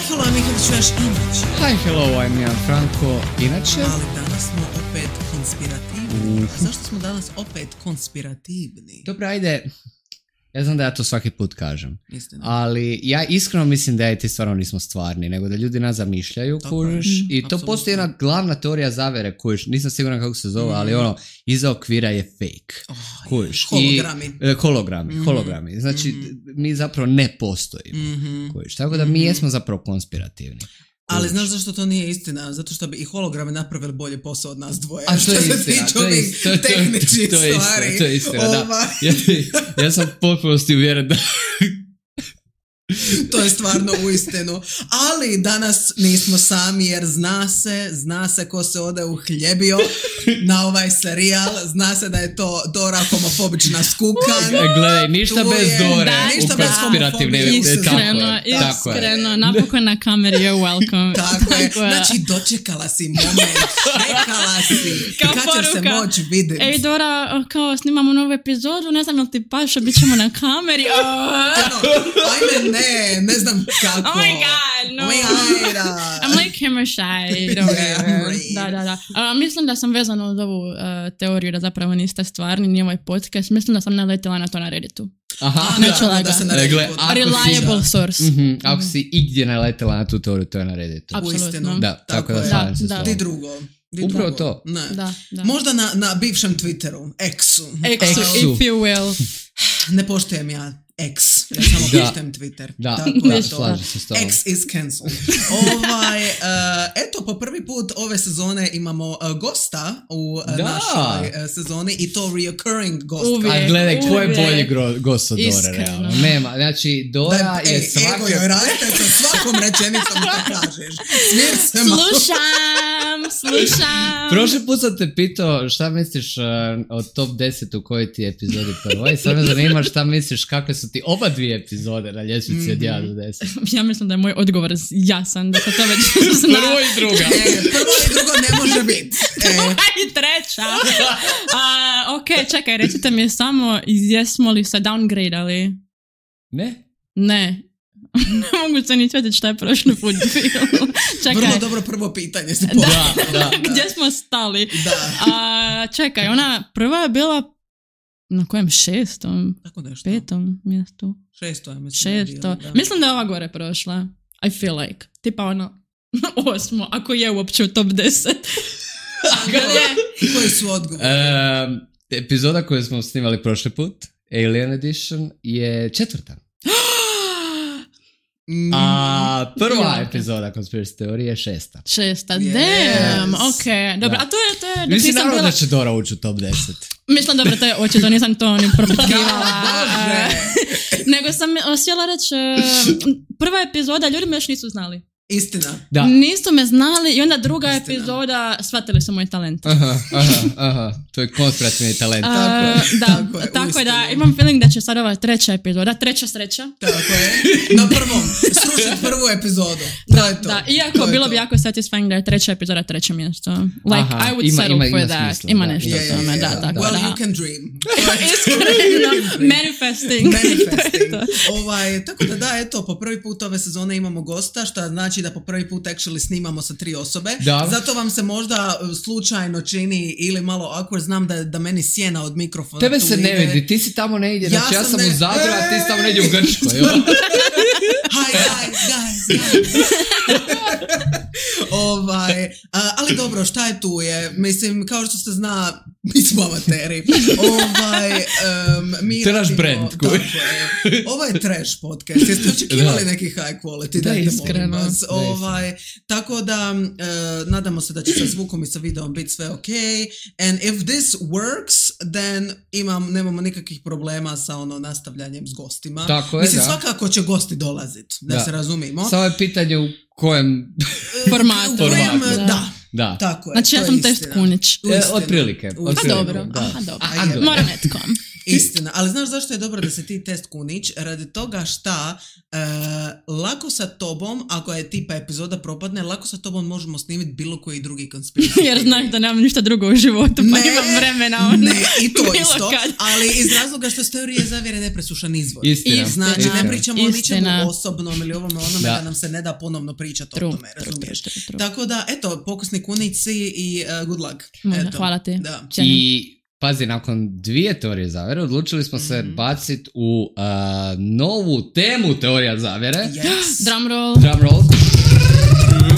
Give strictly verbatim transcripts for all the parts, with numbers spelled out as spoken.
hello, Mihajlo, čuješ inače. Hi, hello, I'm Jan Franko, inače. Ali danas smo opet konspirativni. Uh. Zašto smo danas opet konspirativni? Dobro, ajde. Ja znam da ja to svaki put kažem. Istina. Ali ja iskreno mislim da je ti stvarno nismo stvarni, nego da ljudi nas zamišljaju, kužiš. Mm, I to absolutno. Postoji jedna glavna teorija zavere, kužiš. Nisam siguran kako se zove, mm. ali ono, iza okvira je fake. Oh, kužiš. Hologrami. I, e, hologrami, mm-hmm. hologrami. Znači, mm-hmm. mi zapravo ne postojimo. Mm-hmm. Kužiš. Tako da mi jesmo zapravo konspirativni. Ali znaš zašto to nije istina? Zato što bi i holograme napravili bolje posao od nas dvoje. A što je istina, to je istina, tehničkih to je stvari. istina, to je istina, da. Ja, ja sam potpunosti uvjeren da... To je stvarno uistinu. Ali danas nismo sami jer zna se, zna se ko se ode uhljebio na ovaj serijal. Zna se da je to Dora homofobična skukan. Gledaj, ništa tu bez je, Dore da, ništa u bez konspirativne. Iskreno, tako iskreno. Je. Napokon na kameri, you're welcome. Tako, tako je. Znači, dočekala si moment. Čekala si. Kao kad ćeš se moći vidjeti. Ej, Dora, kao snimamo novu epizodu, ne znam li ti paša, bit ćemo na kameri. Oh. Ajme, ne, ne znam kako. Oh my god, no. Oh my god. I'm like camera shy. Don't yeah, da, da, da. Uh, mislim da sam vezana uz ovu uh, teoriju da zapravo niste stvarni, nije ovaj podcast. Mislim da sam naletila na to na Redditu. Aha, ne čula da, ga. da Regle, Reliable si, source. Mm-hmm, ako si igdje naletila na tu teoriju, to je na Redditu. Apsolutno. Da, tako, tako da slavim se da. Di drugo. Di Upravo drugo. to. Ne. Da, da. Možda na, na bivšem Twitteru, X-u. X-u, if you will. Ne poštujem ja X, ja samo poštujem Twitter. Da, tako da, slažem se s tobom. X is cancelled. ovaj, uh, eto, po prvi put ove sezone imamo uh, gosta u uh, našoj uh, sezoni i to reoccurring gost. Uvijek, a gledaj, ko je bolji uvijek. gost od Dore, realno? Nema, znači Dora da, je ej, svako... Ego joj raste sa svakom rečenicom to kažeš. Smir se malo. Slušam, slušam. Prošli put sam te pitao šta misliš uh, o top deset u kojoj ti epizodi prvo i sad me zanima šta misliš kakve su ti oba dvije epizode na ljestvici mm-hmm. od jedan do deset. Ja mislim da je moj odgovor jasan, da se to već zna. Prvo i druga. E, prvo i drugo ne može biti. E. I treća. Uh, ok, čekaj, recite mi samo, jesmo li se downgrade-ali? Ne? Ne. Ne mogu se ni sjetiti šta je prošli put bilo. Čekaj. Vrlo dobro prvo pitanje si da, da, da. Gdje smo stali? Da. Uh, čekaj, ona prva je bila na kojem šestom? Tako nešto. Petom mjestu? Šesto je mislim. Šesto. Da. Mislim da je ova gore prošla. I feel like. Tipa ono osmo, ako je uopće u top deset. I koji su odgovori? Um, epizoda koju smo snimali prošli put, Alien Edition, je četvrta. A prva ja. epizoda Conspiracy teorije je šesta. Šesta, yes. damn, ok. Dobro, da. a to je... To je mislim naravno bila... da će Dora ući u top deset. Mislim, dobro, to je očito, nisam to ni propitkivala. Nego sam htjela reći, prva epizoda, ljudi me još nisu znali. Istina. Da. Nisu me znali i onda druga Istina. epizoda shvatili su moj talent. Aha, aha, aha. To je konspirativni talent. Uh, tako je. Da, tako, je, tako je da imam feeling da će sad ova treća epizoda, treća sreća. Tako je. Na prvom. Srušiti prvu epizodu. Da, to je to. da. Iako to bilo je bi jako satisfying da je treća epizoda treće mjesto. Like, aha, I would ima, settle ima, for ima that. smisla, Ima da. nešto yeah, o tome, yeah, da, yeah. tako well, da. you can dream. Iskreno, manifesting. Manifesting. ovaj, tako da da, eto, po prvi put ove sezone imamo gosta, što znači da po prvi put actually snimamo sa tri osobe. Da. Zato vam se možda slučajno čini ili malo awkward, znam da, da meni sjena od mikrofona. Tebe se ne vidi, ti si tamo negdje, znači ja, ja sam ne... u Zadru, a ti si tamo negdje u Grčkoj. Hi guys, guys, guys. ovaj, a, ali dobro, šta je tu je? Mislim, kao što se zna, mi smo amateri. Ovaj, um, mi to je naš brand. Ovo je trash podcast. Jeste očekivali neki high quality? Da, iskreno. Vas. Ovaj, tako da, uh, nadamo se da će sa zvukom i sa videom biti sve ok. And if this works, then imam, nemamo nikakvih problema sa ono nastavljanjem s gostima. Tako je, mislim, da. svakako će gosti dolaziti, da, da se razumimo. Samo je pitanje u kojem formatu. U kojem, da. da. Da. Tako je. Znači ja sam test Kunić. E, otprilike. Pa dobro. Da. Aha, dobro. Aha, dobro. Moram netkom. Istina, ali znaš zašto je dobro da se ti test kunić? Radi toga šta uh, lako sa tobom, ako je tipa epizoda propadne, lako sa tobom možemo snimiti bilo koji drugi konspiracy. Jer znaš da nemam ništa drugo u životu, pa ne, imam vremena. One, ne, i to isto, kad. Ali iz razloga što s teorije zavjere nepresušan izvor. Istina. Znači, Istina. ne pričamo o ničemu osobnom ili ovome onome da. da nam se ne da ponovno pričati o tome, razumiješ? True, true, true. Tako da, eto, pokusni kunici i uh, good luck. Eto. Hvala ti. Da. I pazi, nakon dvije teorije zavjere odlučili smo se mm-hmm. baciti u uh, novu temu teorija zavjere. Yes. Drum roll. Drum roll.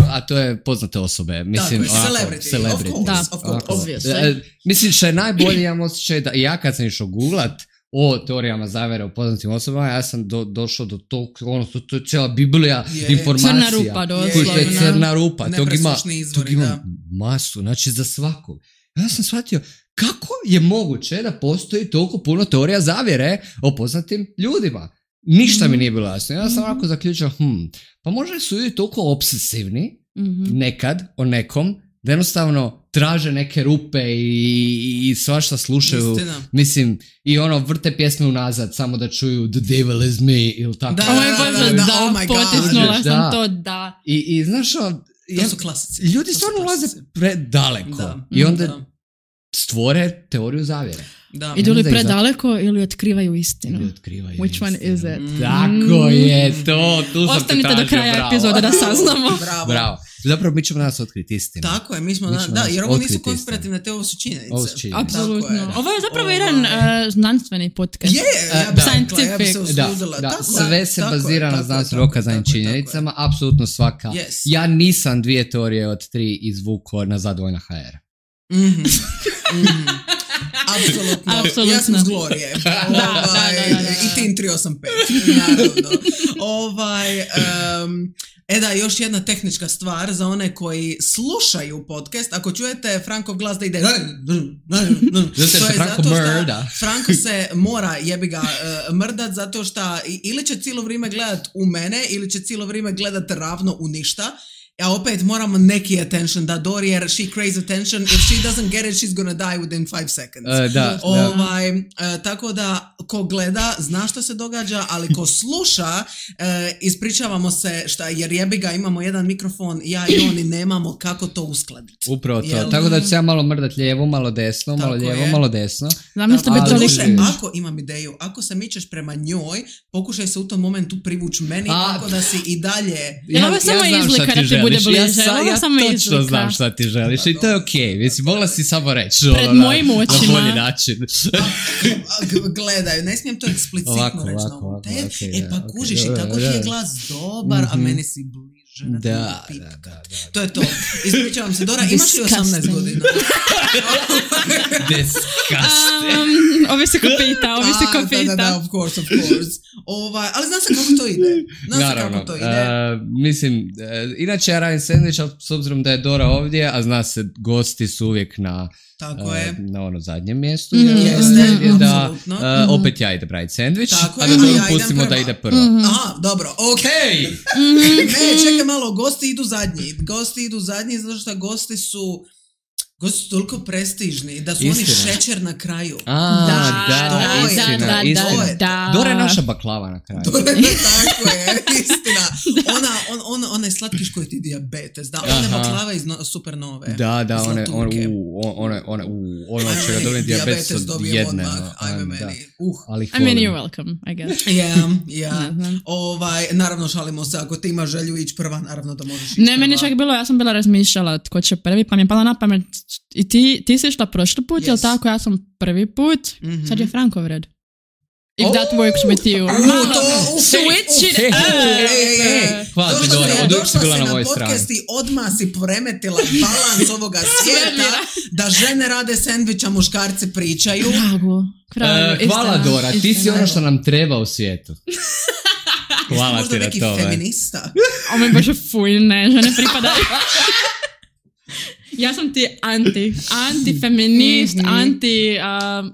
A to je poznate osobe. Mislim, Tako, ovako, celebrity. celebrity. Of course, da, of course. Obviously. Uh, mislim, što je najbolje, ja osjećaj da ja kad sam išao googlat o teorijama zavjere o poznatim osobama, ja sam do, došao do tog, ono, to, to je cijela biblija yeah. informacija. Crna rupa, doslovno. Je crna rupa. Tog ima, izvori, tog ima masu, znači za svakog. Ja sam shvatio, kako je moguće da postoji toliko puno teorija zavjere o poznatim ljudima? Ništa mm-hmm. mi nije bilo jasno. Ja sam ovako zaključio, hm, pa možda su ljudi toliko obsesivni mm-hmm. nekad o nekom, da jednostavno traže neke rupe i, i svašta slušaju. Istina. Mislim, i ono vrte pjesme unazad samo da čuju The Devil is me ili tako. Da, da, da, da, da, da, oh my God. Potisnula sam da. to, da. I, i znaš o, to ja, su klasici. Ljudi stvarno ulaze predaleko. Da. I onda da. stvore teoriju zavjere. Da. Idu li predaleko ili otkrivaju istinu? Ili otkrivaju Which istinu. one is it? Mm. Tako je to. Tu sam Ostanite do kraja bravo. epizode da saznamo. Bravo. Bravo. Zapravo mi ćemo danas otkriti istinu. Tako je, mi smo, mi na, da, jer ovo nisu konspirativne te, ovo su činjenice. Ovo su činjenice. Apsolutno. Je, ovo je zapravo jedan uh, znanstveni podcast. Je, yeah, ja, uh, scientific. Ja bi se usudila. Da, da. Tako, sve se tako, bazira na znanstveno dokazanim činjenicama, apsolutno svaka. Yes. Ja nisam dvije teorije od tri izvukao na Zadovoljna ha er. Mhm. mm-hmm. Apsolutno. Apsolutno. Ja sam s Glorije. Ovaj, da, da, da, da. I Tin tri osam pet. Naravno. Ovaj, um, e da, još jedna tehnička stvar za one koji slušaju podcast. Ako čujete Frankov glas da ide... to je zato što Franko se mora jebi ga uh, mrdat zato što ili će cijelo vrijeme gledat u mene ili će cijelo vrijeme gledat ravno u ništa. Ja opet moramo neki attention da Dori jer she craves attention. If she doesn't get it, she's gonna die within five seconds. Uh, da, ovaj, uh, tako da ko gleda zna što se događa, ali ko sluša uh, ispričavamo se šta, jer jebi ga imamo jedan mikrofon, ja i oni nemamo kako to uskladiti. Upravo to. Jel? Tako da ću ja malo mrdat lijevo, malo desno, tako malo lijevo, je. malo desno. Zamislite bi duše, ako imam ideju, ako se mičeš prema njoj, pokušaj se u tom momentu privući meni, A, tako da si i dalje... Ja, ja, ja samo izlika da ti bude bliže. Ja, sa, ja točno izlika. znam šta ti želiš i to je okej. Okay. Mislim, mogla si samo reći. Pred ono, mojim očima. Na bolji način. Gledaj, ne smijem to eksplicitno ovako, reći ovako, na ovom te. Okay, e pa okay, kužiš okay, i tako ti je glas dobar, mm-hmm. a meni si bliže. Da, da, da, da. To je to. Ispričavam se. Dora, imaš li osamnaest godina? Disgusting. Um, ovi se ko pita, ovi se ko pita. Da, da, da, of course, of course. Ovaj, ali zna se kako to ide. Zna se kako to ide. Uh, mislim, uh, inače ja radim sandvič, ali s obzirom da je Dora ovdje, a zna se, gosti su uvijek na... Tako je. Na ono zadnjem mjestu. Mm, jeste, da, apsolutno. Uh, opet ja idem raditi sandvič, tako a da ja pustimo da ide prvo. Mm-hmm. Aha, dobro, okej. Okay. Mm-hmm. Ne, čekaj malo, gosti idu zadnji. Gosti idu zadnji zato što gosti su... Gosti su toliko prestižni da su istina. Oni šećer na kraju. A, da, da, da, istina, da, da, istina. Da, da. Dora je naša baklava na kraju. Dora je, tako je, istina. Ona, on, on, onaj slatkiš koji ti dijabetes, da, ona je baklava iz no, Supernove. Da, da, one, one, one, one, ono čega dobijem dijabetes od jedne. Odmah, ajme meni. Uh. Ali I mean, you're welcome, I guess. Yeah, yeah. Mm-hmm. Ovaj, naravno šalimo se, ako ti imaš želju ići prva, naravno da možeš ići Ne, meni čak bilo, ja sam bila razmišljala tko će prvi, pa mi je pala na pamet i ti, ti si išla prošli put, yes. Jel tako? Ja sam prvi put, mm-hmm. Sad je Frankov red. If oh. that works with you. Oh, Malo, to, okay, switch it okay. up. Hey, hey, hey. Hvala ti, Dora, od uvijek si bila na mojoj strani. Podcast i odmah si poremetila balans ovoga svijeta da žene rade sendviča, muškarci pričaju. Drago. Uh, hvala Dora, ti si ono što nam treba u svijetu. Hvala ti na to. Feminista. O moj Bože, fuj, ne, žene pripadaju. Ja sam ti anti, anti-feminist, mm-hmm. anti uh,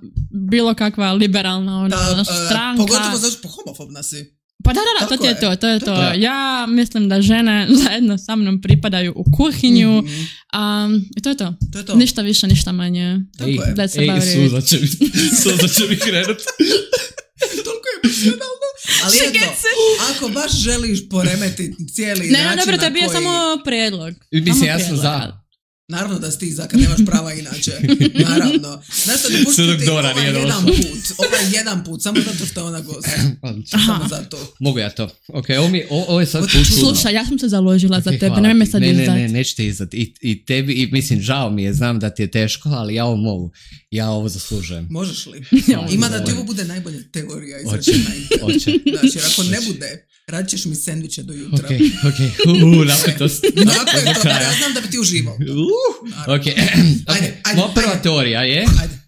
bilo kakva liberalna ona, da, stranka. Uh, pogotovo zašto po homofobna si. Pa da, da, da, to je to, to je to. to. Ja mislim da žene zajedno sa mnom pripadaju u kuhinju. Mm-hmm. Um, I to je to. to je to. Ništa više, ništa manje. Tako ej, je. Ej, suza će mi, suza će mi krenut. Toliko je emocionalno. Ali eto, ako baš želiš poremetiti cijeli ne, način ne, dobro, to je bio koji... samo prijedlog. Mislim, ja sam za... Naravno da si ti za kad nemaš prava inače. Naravno. Znaš što, dopustiti ti ovaj jedan put. Ovaj jedan put, samo zato što je ona gost. Samo zato. Mogu ja to. Ok, ovo, mi, ovo, ovo je sad put. Slušaj, ja sam se založila okay, za tebe, nemoj me sad ne, izdati. Ne, ne, nećete izdati. I, I tebi, i mislim, žao mi je, znam da ti je teško, ali ja ovo mogu. Ja ovo zaslužujem. Možeš li? Ima da ti ovo bude najbolja teorija izračena. Oće. Znači, jer ako ne bude, radit ćeš mi sendviče do jutra. Ok, ok. Uuu, napetost. Tako je to, ja znam da bi ti uživao. Ok, ajde, ajde, moja prva ajde. teorija je ajde.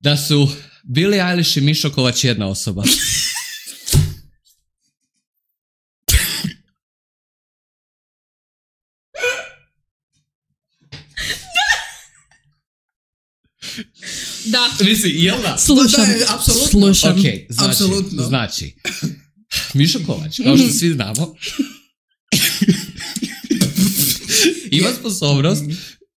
da su Billie Eilish i Mišo Kovač jedna osoba. Da. Mislim, jel da? Slušam. Da, da, apsolutno. Slušam. Ok, znači, apsolutno. znači Mišo Kovač, kao što svi znamo, ima sposobnost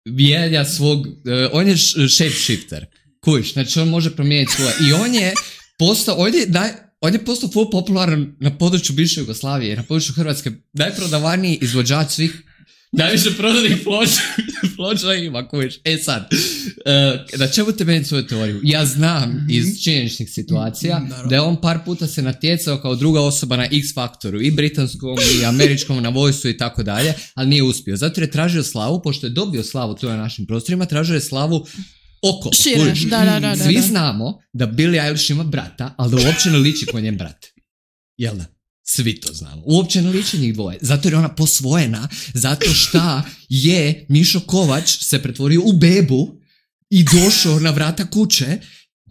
mijenja svog, uh, on je shapeshifter, kujiš, znači on može promijeniti svoje, i on je postao, on je, naj, on je postao full popularan na području bivše Jugoslavije, na području Hrvatske, najprodavaniji izvođač svih, najviše prodanih ploča, ploča ima, kujiš. E sad, uh, na čemu te meni svoju teoriju? Ja znam mm-hmm. iz činjeničnih situacija mm-hmm. da je on par puta se natjecao kao druga osoba na X Faktoru, i britanskom, i američkom, na Voice-u i tako dalje, ali nije uspio. Zato je tražio slavu, pošto je dobio slavu tu na našim prostorima, tražio je slavu oko. Šire, da, da, da, Svi da. znamo da Billie Eilish ima brata, ali da uopće ne liči ko njen brat. Jel da? Svi to znamo. Uopće ne liči njih dvoje. Zato je ona posvojena. Zato šta je Mišo Kovač se pretvorio u bebu i došao na vrata kuće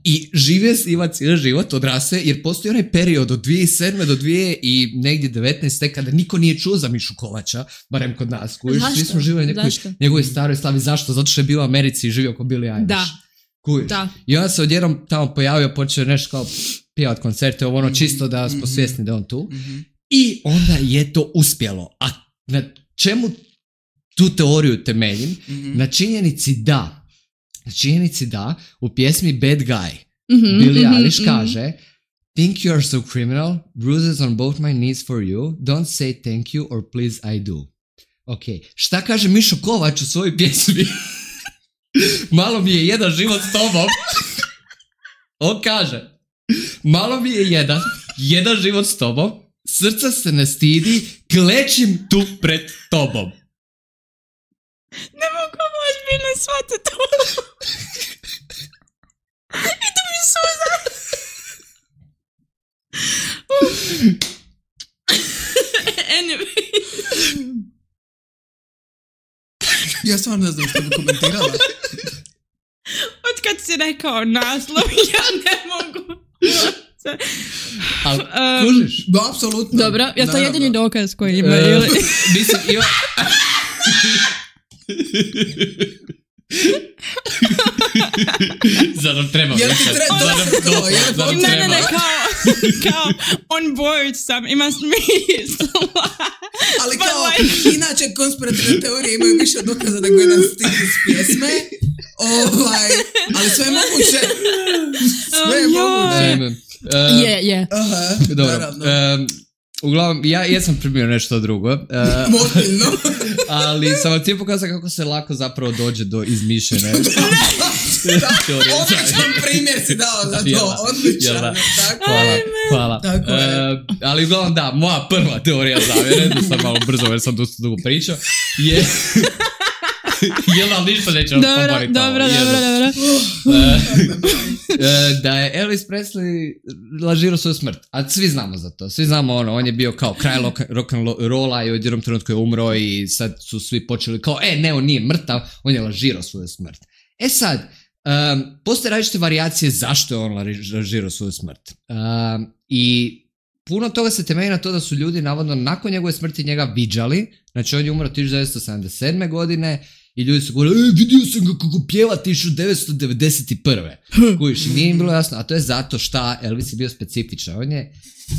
i živio s njima cijeli život, odrasle, jer postoji onaj period od dvije tisuće sedme do dvije i negdje devetnaeste kada niko nije čuo za Mišu Kovača, barem kod nas. Kujiš, svi smo živjeli nekoj njegove staroj slavi. Zašto? Zato što je bio u Americi i živio kao Billie Eilish. Da. Kujiš. Da. I onda se odjednom tamo pojavio, počeo nešto kao pjevat koncerte, ovo ono čisto da smo svjesni da on tu. Mm-hmm. I onda je to uspjelo. A na čemu tu teoriju temeljim? Mm-hmm. Na činjenici da, na činjenici da u pjesmi Bad Guy mm-hmm, Billie Eilish mm-hmm. kaže Think you are so criminal, bruises on both my knees for you, don't say thank you or please I do. Ok, šta kaže Mišo Kovač u svojoj pjesmi? Malo mi je jedan život s tobom. On kaže, malo mi je jedan, jedan život s tobom, srca se ne stidi, klečim tu pred tobom. Ne mogu ozbiljno shvatiti to. I to mi suza. Anyway. Ja stvarno ne znam što bi komentirala. Otkad si rekao naslov, ja ne mogu. Ali, um, kužiš? Da, apsolutno. Dobro, ja to je jedini dokaz koji ima, uh, ili? Mislim, ima... Zato treba jel ti treba to? Ne, ne, ne, kao, kao on board sam, ima smisla. Ali kao, like... inače konspirativne teorije imaju više dokaza nego jedan stil iz pjesme. Ovaj, ali sve je moguće. Sve je moguće. Je, je. Aha, dobro. Um, uglavnom, ja jesam primio nešto drugo. Uh, Motilno. Ali sam vam ti pokazao kako se lako zapravo dođe do izmišljene teorije. Odličan primjer si dao za to. Jela, odličan. Jela. Hvala. Hvala. Tako je. Uh, ali uglavnom da, moja prva teorija zavjere, da sam malo brzo jer sam dosta dugo pričao, je... Jel, ali ništa neće vam pomoriti. Dobro, dobro, dobro. Da je Elvis Presley lažirao svoju smrt. A svi znamo za to. Svi znamo ono, on je bio kao kraj rock'n'rolla i u jednom trenutku je umro i sad su svi počeli kao, e ne, on nije mrtav, on je lažirao svoju smrt. E sad, um, postoje različite varijacije zašto je on lažirao svoju smrt. Um, I puno toga se temelji na to da su ljudi navodno nakon njegove smrti njega viđali. Znači on je umro tisuću devetsto sedamdeset sedme godine i ljudi su govorili, e, vidio sam ga kako pjeva tisuću devetsto devedeset prve. Kužiš, i nije im bilo jasno, a to je zato šta Elvis je bio specifičan. On je,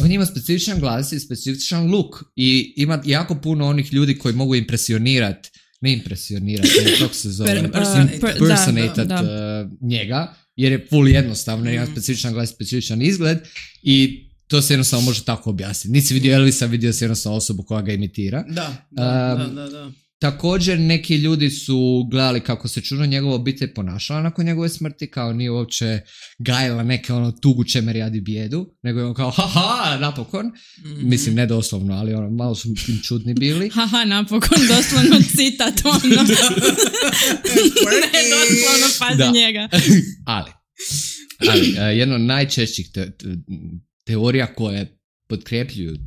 on ima specifičan glas i specifičan look i ima jako puno onih ljudi koji mogu impresionirati, ne impresionirati, kako se zove, impersonate uh, njega, jer je full jednostavno, mm. ima specifičan glas, specifičan izgled i to se jednostavno može tako objasniti. Nisi vidio Elvisa, vidio si jednostavno osobu koja ga imitira. Da, da, um, da, da, da. Također neki ljudi su gledali kako se čudno njegova obitelj ponašala nakon njegove smrti, kao nije uopće gajila neke ono tugu čemer jadi bijedu, nego je on kao haha, napokon. Mm-hmm. Mislim, ne doslovno, ali ono, malo su tim čudni bili. Haha, napokon, doslovno citat, ono. Ne doslovno, pazi njega. ali, ali, jedna od najčešćih te, te, teorija koje potkrepljuju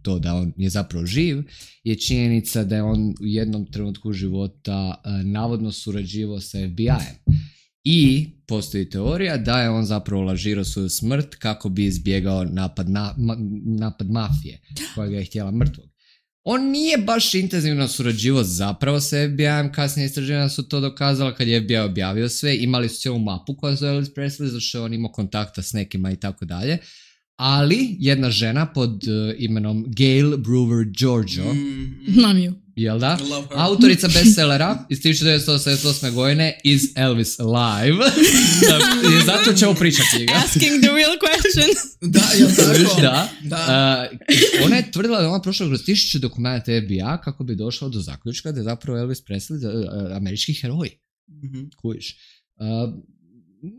to da on je zapravo živ, je činjenica da je on u jednom trenutku života uh, navodno surađivao sa F B I-em. I postoji teorija da je on zapravo lažirao svoju smrt kako bi izbjegao napad, na, ma, napad mafije koja ga je htjela mrtvog. On nije baš intenzivno surađivao zapravo sa F B I-em, kasnije istraživanja su to dokazala kad je F B I objavio sve, imali su cijelu mapu koja zove Elvis Presley, zašto on imao kontakta s nekima i tako dalje. Ali jedna žena pod uh, imenom Gail Brewer Giorgio, znam ju, jel da? Autorica bestsellera iz tisuću devetsto osamdeset osme godine Is Elvis Alive? I zato ćemo pričati njega. Asking the real question. Da, jel tako? Da. da. Uh, ona je tvrdila da ona prošla kroz tisuću dokumenta F B I kako bi došla do zaključka da je zapravo Elvis Presley uh, američki heroj. Mm-hmm. Kujiš. Uh,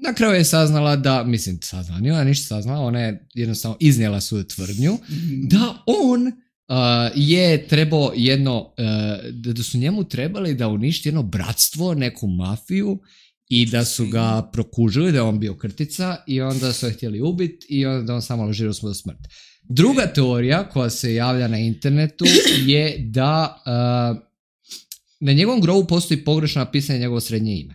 Na kraju je saznala da, mislim, saznala, nije ona ništa saznala, ona je jednostavno iznijela svoju tvrdnju mm-hmm. da on uh, je trebao jedno, uh, da su njemu trebali da uništi jedno bratstvo, neku mafiju i da su ga prokužili, da je on bio krtica i onda su je htjeli ubiti i onda da on samo lažirao svoju smrt. Druga teorija koja se javlja na internetu je da uh, na njegovom grobu postoji pogrešno napisanje njegovo srednje ime.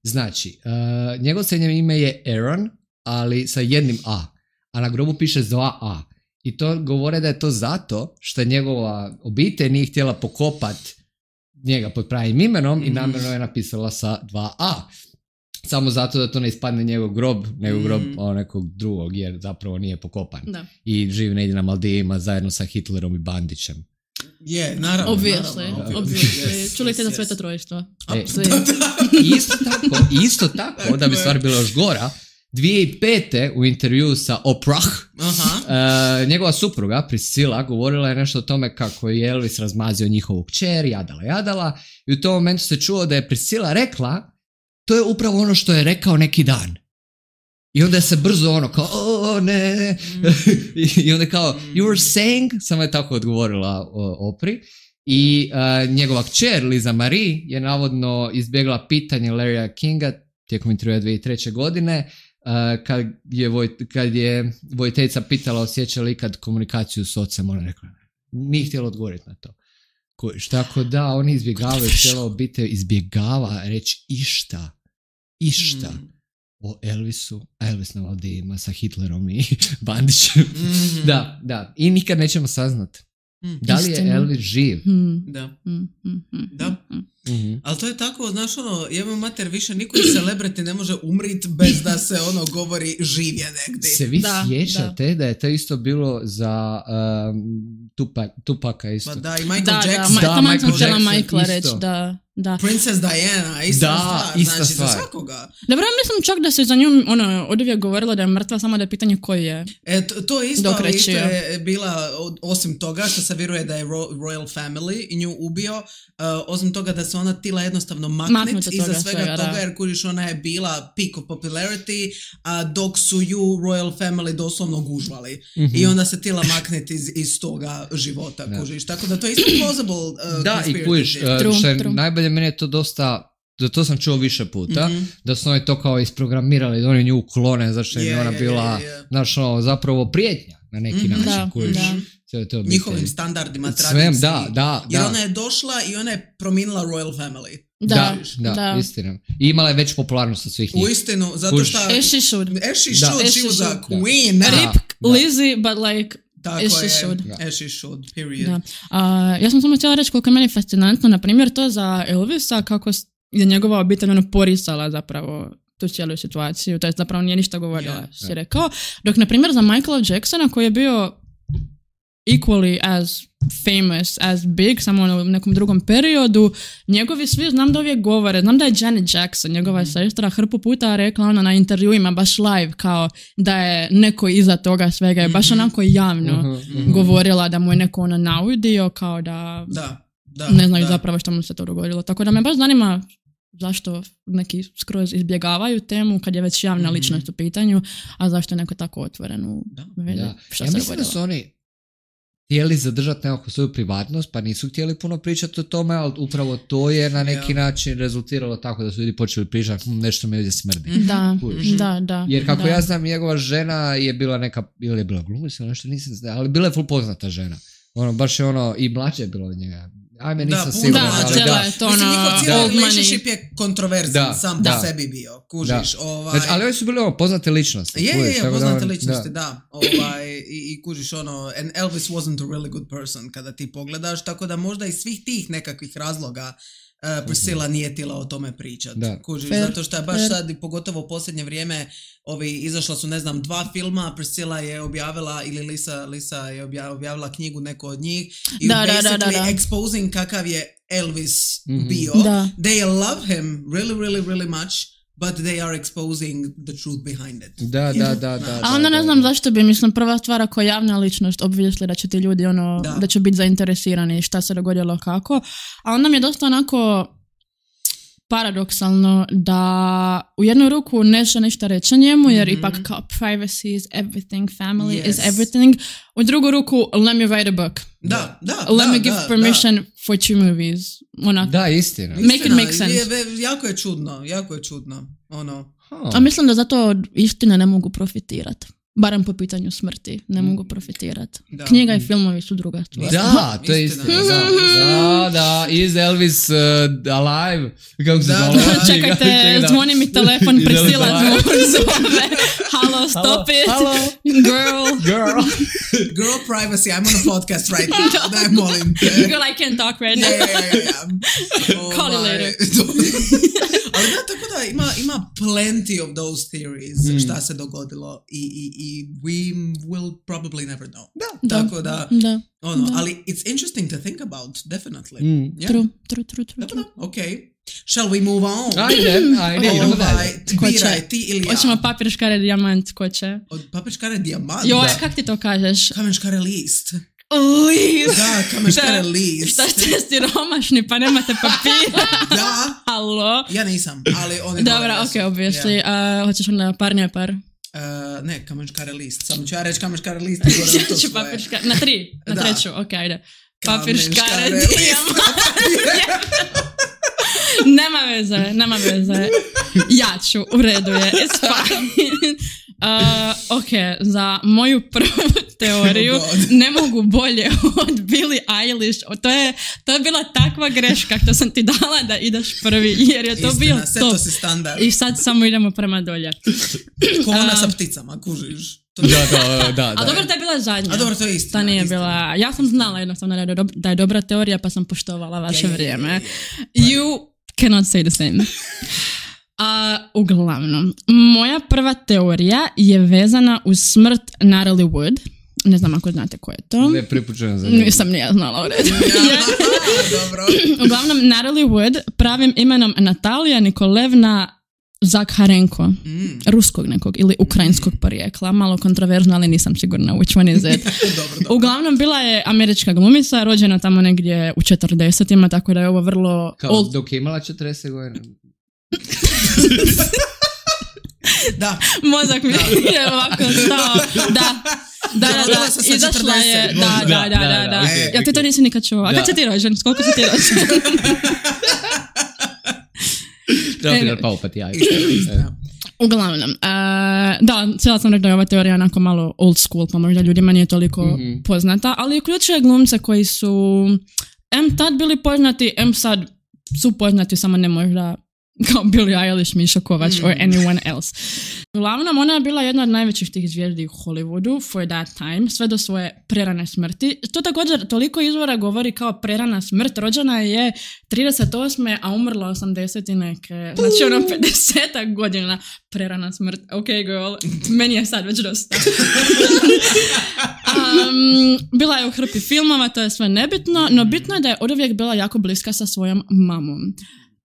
Znači, uh, njegovo srednje ime je Aaron, ali sa jednim A, a na grobu piše s dva A. I to govore da je to zato što njegova obitelj nije htjela pokopat njega pod pravim imenom mm. i namjerno je napisala sa dva A. Samo zato da to ne ispadne njegov grob, nego grob mm. o nekog drugog, jer zapravo nije pokopan. Da. I živi negdje na Maldivima zajedno sa Hitlerom i Bandićem. Je, yeah, naravno. Obviously, naravno, obviously. Yes, Čuli ste yes, za Sveta Trojstva. E, isto tako, isto tako, da bi stvar bila još gora, dvije tisuće pete u intervju sa Oprah, uh, njegova supruga Priscilla govorila je nešto o tome kako je Elvis razmazio njihovu kćer, jadala jadala, i u tom momentu se čuo da je Priscilla rekla, to je upravo ono što je rekao neki dan. I onda je se brzo ono kao, o ne, ne. Mm. I onda kao, you were saying, samo je tako odgovorila o, Opri. I uh, njegova kćer, Liza Marie, je navodno izbjegla pitanje Larrya Kinga tijekom intervjua dvije tisuće treće godine, uh, kad je, voj, kad je vojiteljica pitala osjeća li ikad komunikaciju s ocem, ona rekla, nije htjela odgovoriti na to. Kojiš, tako da, oni izbjegavaju, cijela obitelj izbjegava reći išta, išta. Mm. o Elvisu, Elvis na Maldivima sa Hitlerom i Bandićem. Mm-hmm. Da, da. I nikad nećemo saznat. Mm. Da li je Elvis živ? Mm. Da. Mm-hmm. Da. Mm-hmm. Ali to je tako, znaš ono, jebem mater, više niko celebrity ne može umrit bez da se ono govori živ je negdje. Se vi da, sjećate da. da je to isto bilo za um, Tupac, Tupaka isto? Pa da, i Michael da, Jackson. Da, da, Michael Jackson Michaela reći, da. Da. Princess Diana, ista da, stvar, ista znači stvar. za svakoga. Dobro, mislim čak da se za nju ono, od uvijek govorilo da je mrtva, samo da je pitanje koji je. E, to, to je isto, ali isto je bila, osim toga što se vjeruje da je Royal Family i nju ubio, uh, osim toga da se ona tila jednostavno maknit iza svega, svega toga, da. Jer kuriš ona je bila peak of popularity, a dok su ju Royal Family doslovno gužvali. Mm-hmm. I onda se tila maknit iz, iz toga života, da. Kužiš. Tako da to je isto plausible uh, da, i kužiš, uh, što je najbolje, meni je to dosta, da to sam čuo više puta, mm-hmm. da su oni to kao isprogramirali, da oni nju klone, zašto je yeah, ona bila, yeah, yeah. Znaš, ono, zapravo prijetnja na neki mm-hmm. način, da, kojiš, da. To njihovim standardima, tradiciji. Da, da, jer da. ona je došla i ona je promijenila Royal Family. Da, da, da, istina. I imala je već popularnost od svih njih. U istinu, zato što... As she should. As she should, she was a queen. Rip Lizzie, but like... Tako as je, should. as she should, period. Da. Uh, ja sam samo htjela reći koliko je meni fascinantno, na primjer to za Elvisa, kako je njegova obitelj ono porisala zapravo tu cijelu situaciju, to je zapravo nije ništa govorila, yeah, si yeah. rekao. Dok, na primjer, za Michaela Jacksona, koji je bio equally as famous, as big, samo ono u nekom drugom periodu, njegovi svi, znam da uvijek govore, znam da je Janet Jackson, njegova mm-hmm. sestra, hrpu puta rekla ona na intervjuima, baš live, kao da je neko iza toga svega, je baš mm-hmm. onako javno mm-hmm. govorila da mu je neko ono naudio, kao da, da, da ne znaju da. zapravo što mu se to dogodilo. Tako da me baš zanima zašto neki skroz izbjegavaju temu kad je već javna mm-hmm. ličnost u pitanju, a zašto je neko tako otvoren u vidi što ja se mislim dogodilo. Da su oni htjeli zadržati nekako svoju privatnost, pa nisu htjeli puno pričati o tome, ali upravo to je na neki yeah. način rezultiralo tako da su ljudi počeli pričati hm, nešto mi ovdje smrdi. Da, da, da. Jer kako da. ja znam, njegova žena je bila neka, ili je bila glumica, nešto nisam znao, ali bila je full poznata žena. Ono, baš je ono, i mlađe je bilo od njega. Ajme, nisam siguran. Da, ali da. Je to ono, mislim, njihov cijeli relationship je kontroverzan, da, sam da. po sebi bio, kužiš. Ovaj... Znači, ali oni su bili ono, poznate ličnosti. Je, je, je, poznate da, ličnosti, da. da. Ovaj, i, I kužiš ono, and Elvis wasn't a really good person kada ti pogledaš, tako da možda iz svih tih nekakvih razloga Uh, Priscilla uh-huh. nije htjela o tome pričati. Kužiš, zato što je baš Fair. sad, pogotovo u posljednje vrijeme, ovi, izašla su, ne znam, dva filma, Priscilla je objavila, ili Lisa, Lisa je objavila knjigu, neko od njih, i da, basically da, da, da, da. exposing kakav je Elvis mm-hmm. bio. Da. They love him really, really, really much, but they are exposing the truth behind it. Da, da, da, da. A onda ne znam zašto bi, mislim, prva stvar ako je javna ličnost, obvisli da će ti ljudi, ono, da, da će biti zainteresirani šta se dogodilo kako. A onda mi je dosta onako paradoksalno da u jednu ruku neće ništa reći njemu, jer mm-hmm. ipak kao privacy is everything, family yes. is everything. U drugu ruku, let me write a book. Da, da, let da, me give da, permission da. for two movies. Ona, da, istina. Make istina, it make sense. Je, jako je čudno, jako je čudno. Ono. Huh. A mislim da zato istine ne mogu profitirati. Barem po pitanju smrti ne mogu profitirati. Da. Knjiga i filmovi su druga stvar. Da, to je istina. Da, da, is Elvis uh, alive? Kako se zove? Čekajte, čekaj, zvoni mi telefon, Priscilla zove. Halo, stop it. Halo. Girl. Girl. Girl privacy, I'm on a podcast right now. Daj, molim te. Girl, I can't talk right now. Yeah, yeah, yeah. Oh, call you later. Ali da, tako da ima, ima plenty of those theories mm. šta se dogodilo i, i, i we will probably never know. Da, tako da, da, ono, da. ali it's interesting to think about, definitely. Mm. Yeah. True, true, true, true. true. Okay. Shall we move on? Ajde, ajde, idemo dalje. Biraj, ti ili ja? Hoćemo papir, škare, dijamant, ko će? Od papir, škare, dijamant? Joj, kak ti to kažeš? Kamen, škare, list. List. Da, kamen, škare, list. Šta ste siromašni, pa nemate papira? Da. Halo? Ja nisam, ali oni... Dobra, okej, okay, obviously. Yeah. Uh, hoćeš onda par, ne par? Uh, ne, kamen, škare, list. Samo ću ja reći kamen, škare, list. Ja ću papir, škare, na tri, na da. treću, okej, okay, ajde. Papir, škare, dijamant. Nema veze, nema veze. Ja ću, u redu je, it's fine. Uh, ok, za moju prvu teoriju oh ne mogu bolje od Billie Eilish. To je, to je bila takva greška što sam ti dala da ideš prvi, jer je to Istina, bio top. To si standard. I sad samo idemo prema dolje. Ko ona uh, sa pticama, kužiš. Da, da, da, da. A dobro, da je bila zadnja. A dobro, to je istina. Ta nije istina. bila, ja sam znala jednostavno da je, do, da je dobra teorija, pa sam poštovala vaše yeah, vrijeme. Yeah, yeah. You cannot say the same. Uh, uglavnom, moja prva teorija je vezana uz smrt Natalie Wood. Ne znam ako znate ko je to. Ne pripučujem za njegu. Nisam ni ja znala u redu. Dobro. Uglavnom, Natalie Wood pravim imenom Natalija Nikolevna Zakharenko, mm. ruskog nekog ili ukrajinskog porijekla, malo kontroverzno, ali nisam sigurna which one is it. dobro, dobro. Uglavnom, bila je američka glumica, rođena tamo negdje u četrdesetima, tako da je ovo vrlo... Kao old... dok je imala četrdeset godina. Da. Mozak mi da. je ovako stao. Da. Da, da, da, izašla je. Da, da, da, da, da. E, Jel ti to nisi nikad čuo? A kad si ti rođen? Koliko si ti rođen? Treba bi pao pa ti ja. Uglavnom, uh, da, cijela sam rekla da je ova teorija onako malo old school, pa možda ljudima nije toliko mm-hmm. poznata, ali uključuje glumce koji su em tad bili poznati, em sad su poznati, samo ne možda kao Billie Eilish, Miša Kovač mm. or anyone else. Uglavnom, ona je bila jedna od najvećih tih zvijezdi u Hollywoodu for that time, sve do svoje prerane smrti. To također toliko izvora govori kao prerana smrt. Rođena je trideset osme a umrla osamdeset i neke. Znači ono pedeset godina prerana smrt. Ok, girl, meni je sad već dosta. um, bila je u hrpi filmova, to je sve nebitno, no bitno je da je oduvijek bila jako bliska sa svojom mamom.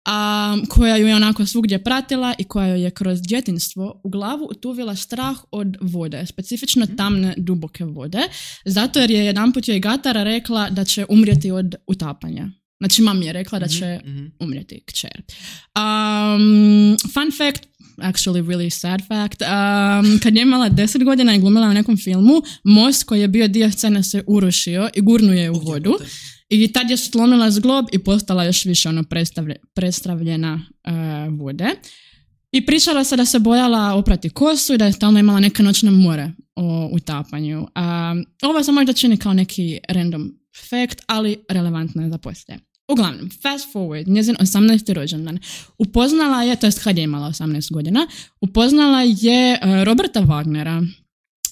Um, koja ju je onako svugdje pratila i koja joj je kroz djetinjstvo u glavu utuvila strah od vode, specifično tamne, duboke vode, zato jer je jedanput joj Gatara rekla da će umrijeti od utapanja. Znači, mami je rekla da će mm-hmm. umrijeti kćer. Um, fun fact, actually really sad fact, um, kad je imala deset godina i glumila na nekom filmu, most koji je bio dio scene se urušio i gurnuo je u vodu. I tad je slomila zglob i postala još više ono predstavlje, predstavljena uh, vode. I pričala se da se bojala oprati kosu i da je stalno imala neke noćne more o utapanju. Um, ovo se možda čini kao neki random fact, ali relevantno je za poslije. Uglavnom, fast forward, njezin osamnaesti rođendan. Upoznala je, to jest kad je imala osamnaest godina, upoznala je uh, Roberta Wagnera,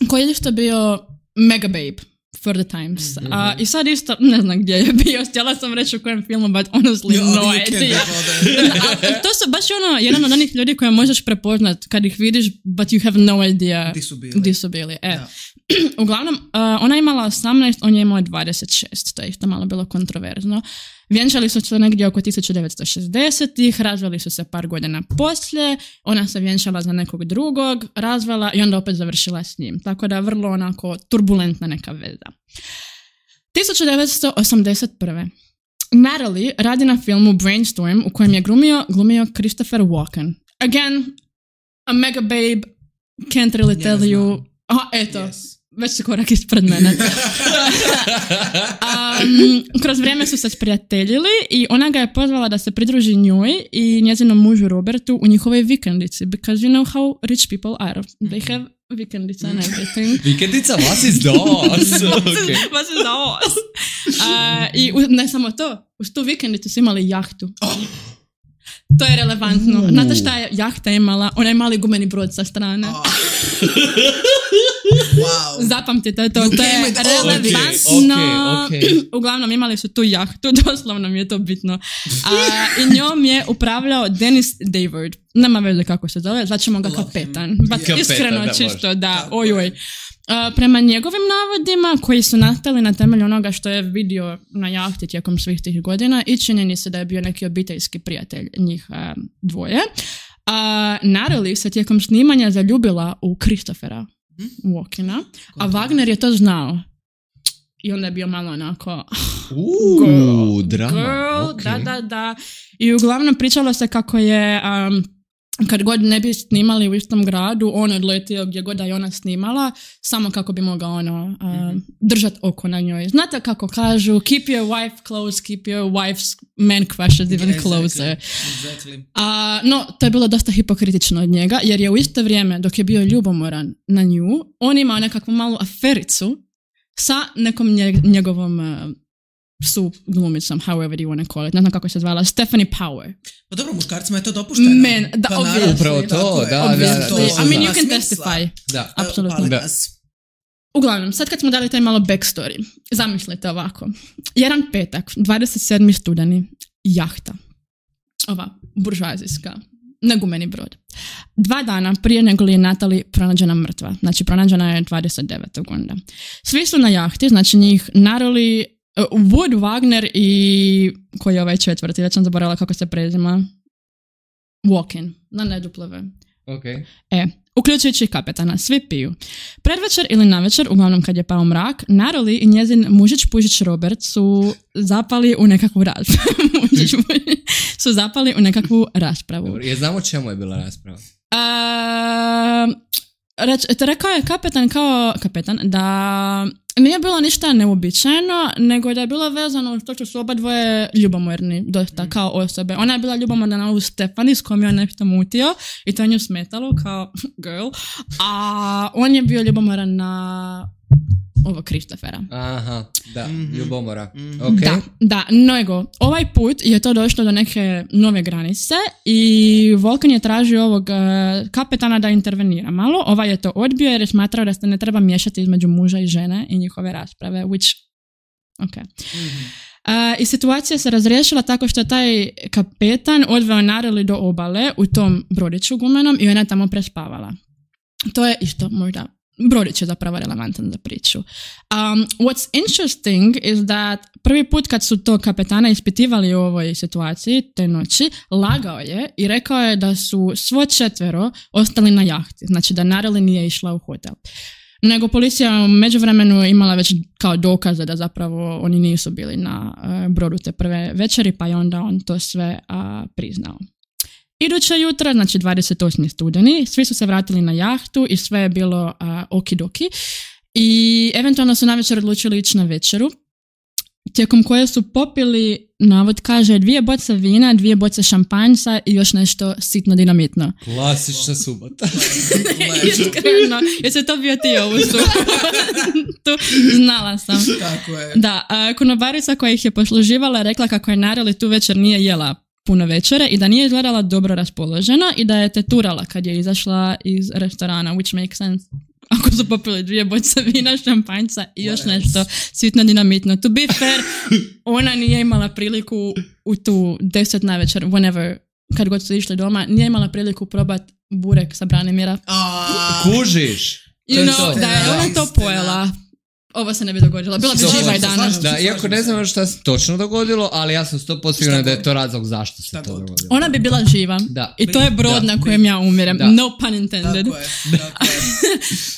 koji je isto bio mega babe for the times. Mm-hmm. Uh, I sad isto, ne znam gdje je bio, htjela sam reći u kojem filmu, but honestly jo, no idea. To su baš ono, jedan od onih ljudi koje možeš prepoznat kad ih vidiš, but you have no idea di su bili. Di su bili. E. Uglavnom, uh, ona je imala osamnaest, on je imao dvadeset šest, to je isto malo bilo kontroverzno. Vjenčali su se negdje oko tisuću devetsto šezdesetih, razveli su se par godina poslije, ona se vjenčala za nekog drugog, razvela i onda opet završila s njim. Tako da vrlo onako turbulentna neka veza. tisuću devetsto osamdeset prve. Natalie radi na filmu Brainstorm u kojem je glumio, glumio Christopher Walken. Again, a mega babe, can't really tell you. Aha, eto. Yes. Već se korak ispred mene. um, kroz vrijeme su se sprijateljili i ona ga je pozvala da se pridruži njoj i njezinom mužu Robertu u njihovoj vikendici. Because you know how rich people are. They have vikendica and everything. Vikendica, was is das? Okay. Was is das? Uh, I ne samo to, uz tu vikendicu su imali jahtu. Oh. To je relevantno. Uh. Znate šta je jahta imala? Ona je mali gumeni brod sa strane. Oh. Wow. Zapamtite to, to je relevantno. Okay, okay. Uglavnom imali su tu jahtu, doslovno mi je to bitno. A, i njom je upravljao Dennis Davard. Nema veze kako se zove, zvaćemo ga kapetan. But kapetan, iskreno da čisto može. Da, ojoj. Uh, prema njegovim navodima koji su nastali na temelju onoga što je vidio na jahti tijekom svih tih godina i činjeni se da je bio neki obiteljski prijatelj njih uh, dvoje. Uh, Natalie se tijekom snimanja zaljubila u Christophera Walkena, a Wagner je to znao. I onda je bio malo onako Uuu, drama. Girl, okay. da, da, da. I uglavnom pričalo se kako je um, kad god ne bi snimali u istom gradu, on odletio gdje god da je ona snimala, samo kako bi mogao ono, uh, mm-hmm. držat oko na njoj. Znate kako kažu, keep your wife close, keep your wife's man crushes even yeah, closer. Exactly. Uh, no, to je bilo dosta hipokritično od njega, jer je u isto vrijeme, dok je bio ljubomoran na nju, on imao nekakvu malu afericu sa nekom nje, njegovom uh, su glumicom, however you want to call it. Ne znam kako se zvala, Stephanie Power. Pa dobro, muškarcima je to dopušteno. Men, da, pa obviously. Upravo to, da, da, da. to, I mean, you can testify. Da. Apsolutno. Da. Uglavnom, sad kad smo dali taj malo backstory, zamislite ovako. Jedan petak, dvadeset sedmi studeni, jahta. Ova, buržoazijska. Negumeni brod. Dva dana prije nego li je Natalie pronađena mrtva. Znači, pronađena je dvadeset devetog onda. Svi su na jahti, znači njih Natalie, uh, Wood, Wagner i koji je ovaj četvrti, već sam zaboravila kako se prezima. Walken, na neduplove. Okay. E, uključujući kapetana, svi piju. Predvečer ili navečer, uglavnom kad je pao mrak, Natalie i njezin mužić pužić Robert su zapali u nekakvu raspravu. su zapali u nekakvu raspravu. Dobro, je znamo čemu je bila rasprava? Uh, reč, rekao je kapetan kao kapetan da nije bilo ništa neuobičajeno, nego da je bilo vezano uz to što su oba dvoje ljubomorni dosta mm. kao osobe. Ona je bila ljubomorna na ovu Stephanie s kojom je on nešto mutio i to je nju smetalo kao girl, a on je bio ljubomoran na ovo Christophera. Aha, da, mm-hmm. ljubomora. Mm-hmm. Okay. Da, da, nego, ovaj put je to došlo do neke nove granice i Vulcan je tražio ovog uh, kapetana da intervenira malo. Ovaj je to odbio jer je smatrao da se ne treba miješati između muža i žene i njihove rasprave, which, ok. Mm-hmm. Uh, I situacija se razriješila tako što taj kapetan odveo Nareli do obale u tom brodiću gumenom i ona je tamo prespavala. To je isto možda, brodić je zapravo relevantan za priču. Um, what's interesting is that prvi put kad su to kapetana ispitivali u ovoj situaciji, te noći, lagao je i rekao je da su svo četvero ostali na jahti, znači da Nareli nije išla u hotel. Nego policija u međuvremenu imala već kao dokaze da zapravo oni nisu bili na uh, brodu te prve večeri, pa je onda on to sve uh, priznao. Iduće jutro, znači dvadeset osmi studeni, svi su se vratili na jahtu i sve je bilo uh, okidoki i eventualno su navečer odlučili ići na večeru, tijekom koje su popili, navod kaže, dvije boce vina, dvije boce šampanjca i još nešto sitno dinamitno. Klasična subota. Iskreno, jesi to bio ti ovu subotu? Znala sam. Tako je. Da, a, konobarica koja ih je posluživala rekla kako je Nareli tu večer nije jela puno večere i da nije izgledala dobro raspoložena i da je teturala kad je izašla iz restorana, which makes sense. Ako su popili dvije boce vina, šampanjca i još nešto sitno dinamitno. To be fair, ona nije imala priliku u tu deset navečer, whenever, kad god su išli doma, nije imala priliku probat burek sa Branimira. Kužiš? You know, da je ona to pojela. Ovo se ne bi dogodilo. Bila bi živa i danas. Da, iako ne znam šta se točno dogodilo, ali ja sam sto posto sigurna da je to razlog zašto se to dogodilo. Ona bi bila živa. Da. I to je brod da. na kojem ja umirem. Da. No pun intended. Tako je. Tako je.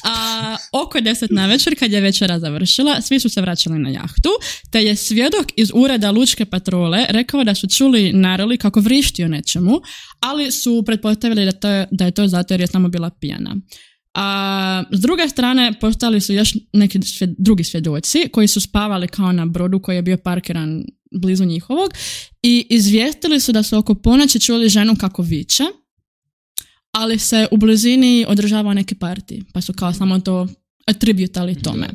A, oko deset navečer, kad je večera završila, svi su se vraćali na jahtu, te je svjedok iz ureda lučke patrole rekao da su čuli Nareli kako vrišti o nečemu, ali su pretpostavili da, to, da je to zato jer je samo bila pijana. A s druge strane postali su još neki svjed, drugi svjedoci koji su spavali kao na brodu koji je bio parkiran blizu njihovog i izvijestili su da su oko ponoći čuli ženu kako viče, ali se u blizini održavao neki party, pa su kao samo to attributali tome.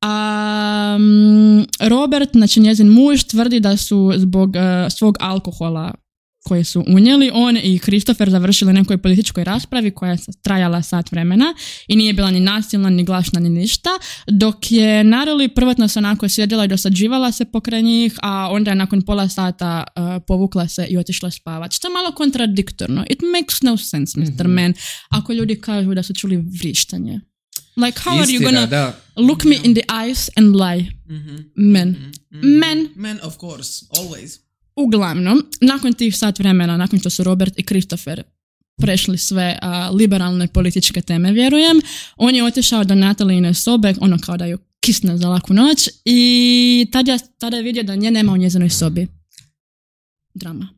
A, um, Robert, znači njezin muž, tvrdi da su zbog uh, svog alkohola koje su unijeli, on i Christopher završili nekoj političkoj raspravi koja je trajala sat vremena i nije bila ni nasilna, ni glasna, ni ništa, dok je Nareli prvotno se onako sjedila i dosađivala se pokraj njih, a onda je nakon pola sata uh, povukla se i otišla spavati. Što je malo kontradiktorno. It makes no sense, mister Mm-hmm. Man, ako ljudi kažu da su čuli vrištanje. Like, how Istina, are you gonna da. look me in the eyes and lie? Mm-hmm. Men. Mm-hmm. Men. Men, of course. Always. Uglavnom, nakon tih sat vremena, nakon što su Robert i Christopher prešli sve uh, liberalne političke teme, vjerujem, on je otišao do Natalijine sobe, ono kao da ju kisne za laku noć i tada, tada je vidio da nje nema u njezinoj sobi. Drama.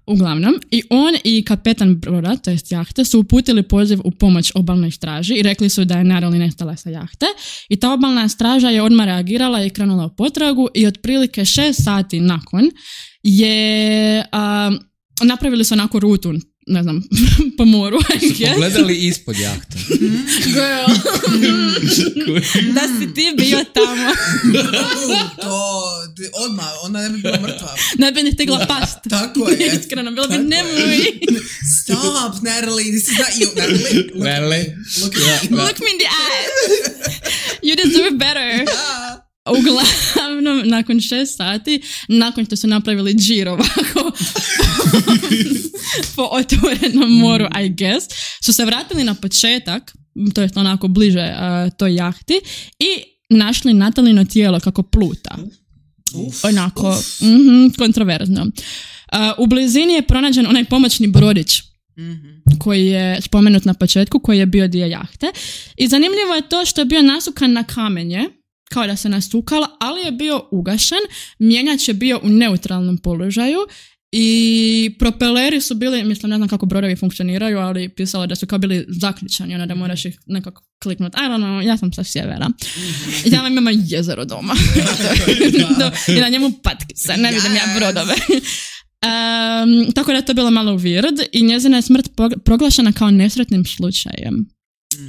Uglavnom, i on i kapetan broda, to jest jahte, su uputili poziv u pomoć obalnoj straži i rekli su da je Nareli nestala sa jahte i ta obalna straža je odmah reagirala i krenula u potragu i otprilike šest sati nakon je a, napravili su onako rutu, ne znam, po moru. Su pogledali ispod jahte. Girl. Da si ti bio tamo. To, odmah, ona ne bi bila mrtva. Ne bi ni stigla past. Tako je. Iskreno, bilo bi nemoj. Stop, Natalie, this is not you. Natalie, look, Natalie. Look, look, look me in the eyes. You deserve better. Uglavnom, nakon šest sati, nakon što su napravili džir ovako po otvorenom moru, I guess, su se vratili na početak, to je onako bliže uh, toj jahti, i našli Natalino tijelo kako pluta. Uf, onako, uf. Mm-hmm, kontroverzno. Uh, u blizini je pronađen onaj pomoćni brodić, mm-hmm. koji je spomenut na početku, koji je bio dio jahte. I zanimljivo je to što je bio nasukan na kamenje, kao da se nasukala, ali je bio ugašen, mjenjač je bio u neutralnom položaju i propeleri su bili, mislim, ne znam kako brodovi funkcioniraju, ali pisalo da su kao bili zaključani, ono da moraš ih nekako kliknuti. I don't know, ja sam sa sjevera. Ja vam imam jezero doma. I na njemu patkice, ne vidim ja brodove. Um, tako da je to bilo malo weird i njezina je smrt proglašena kao nesretnim slučajem.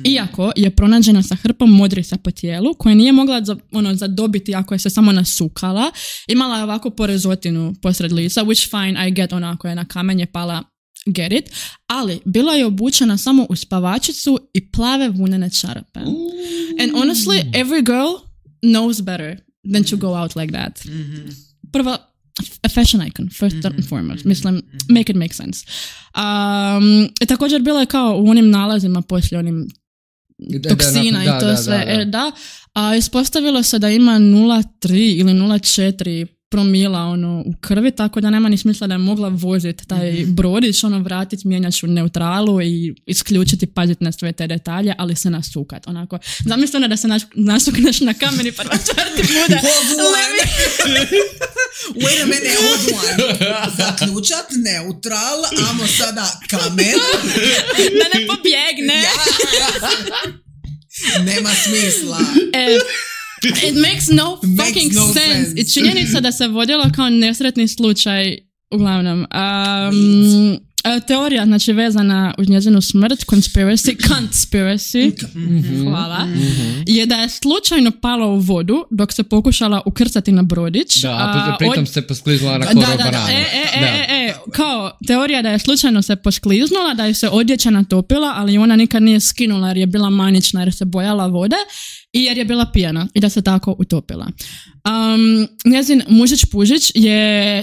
Iako je pronađena sa hrpom modrica po tijelu koje nije mogla za, ono, zadobiti ako je se samo nasukala. Imala je ovako porezotinu posred lica, which fine, I get, onako je na kamenje pala, get it. Ali bila je obučena samo u spavačicu i plave vunene čarape. And honestly, every girl knows better than to go out like that. Prva, a fashion icon, first mm-hmm. and foremost. Mislim, make it make sense. Um, i također bilo je kao u onim nalazima poslije onim toksina da, da, i to da, sve. Da, da. E, da. A ispostavilo se da ima nula zarez tri ili nula zarez četiri promila ono, u krvi, tako da nema ni smisla da je mogla voziti taj mm-hmm. brodić, ono, vratiti mijenjač u neutralu i isključiti, paziti na sve te detalje, ali se nasukat. Onako, zamisli ono da se nasukneš na kamen i prva stvar ti bude. Wait a minute, hold on. Zaključat neutral, amo sada kamen. Da ne pobjegne. Nema smisla. E, it makes no fucking makes no sense. sense. I činjenica da se vodilo kao nesretni slučaj, uglavnom. Um, teorija, znači, vezana uz njezinu smrt, conspiracy, conspiracy, mm-hmm. hvala, mm-hmm. je da je slučajno pala u vodu dok se pokušala ukrcati na brodić. Da, a pritom od... se poskliznula na korov banana. E, e, e, e, e, kao teorija da je slučajno se poskliznula, da je se odjeća natopila, ali ona nikad nije skinula jer je bila manična, jer se bojala vode i jer je bila pijana i da se tako utopila. Um, njezin mužić Pužić je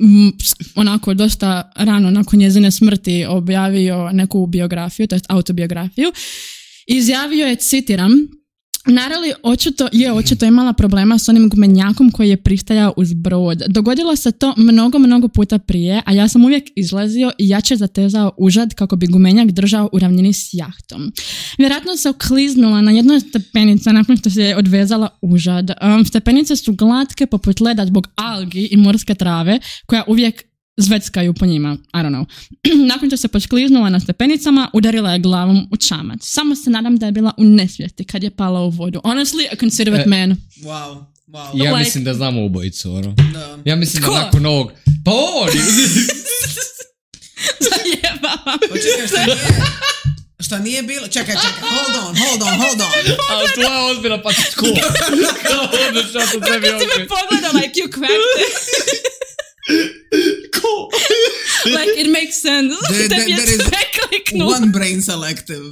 m, onako dosta rano nakon njezine smrti objavio neku biografiju, to jest autobiografiju. Izjavio je, citiram, Narali očito je očito imala problema s onim gumenjakom koji je pristajao uz brod. Dogodilo se to mnogo, mnogo puta prije, a ja sam uvijek izlazio i jače zatezao užad kako bi gumenjak držao u ravnini s jahtom. Vjerojatno se okliznula na jednoj stepenica nakon što se je odvezala užad. Um, stepenice su glatke poput leda zbog algi i morske trave koja uvijek zveckaju po njima, I don't know. Nakon što se poskliznula na stepenicama, udarila je glavom u čamac. Samo se nadam da je bila u nesvijesti kad je pala u vodu. Honestly, a considerate e, man. Wow, wow. Ja like, mislim da znamo ubojicu, ono. Da. Ja mislim Tko? da nakon ovog... Pa on! Zajebava. Počekaj, šta nije... Šta nije bilo... Čekaj, čekaj, hold on, hold on, hold on. Ali to je ozbiljna pa tko? Kao ono što to tebi ovdje. Kako si me pogledala, like you cracked it. Cool. Like it makes sense. There, Tebi je there sve kliknulo. One brain selective.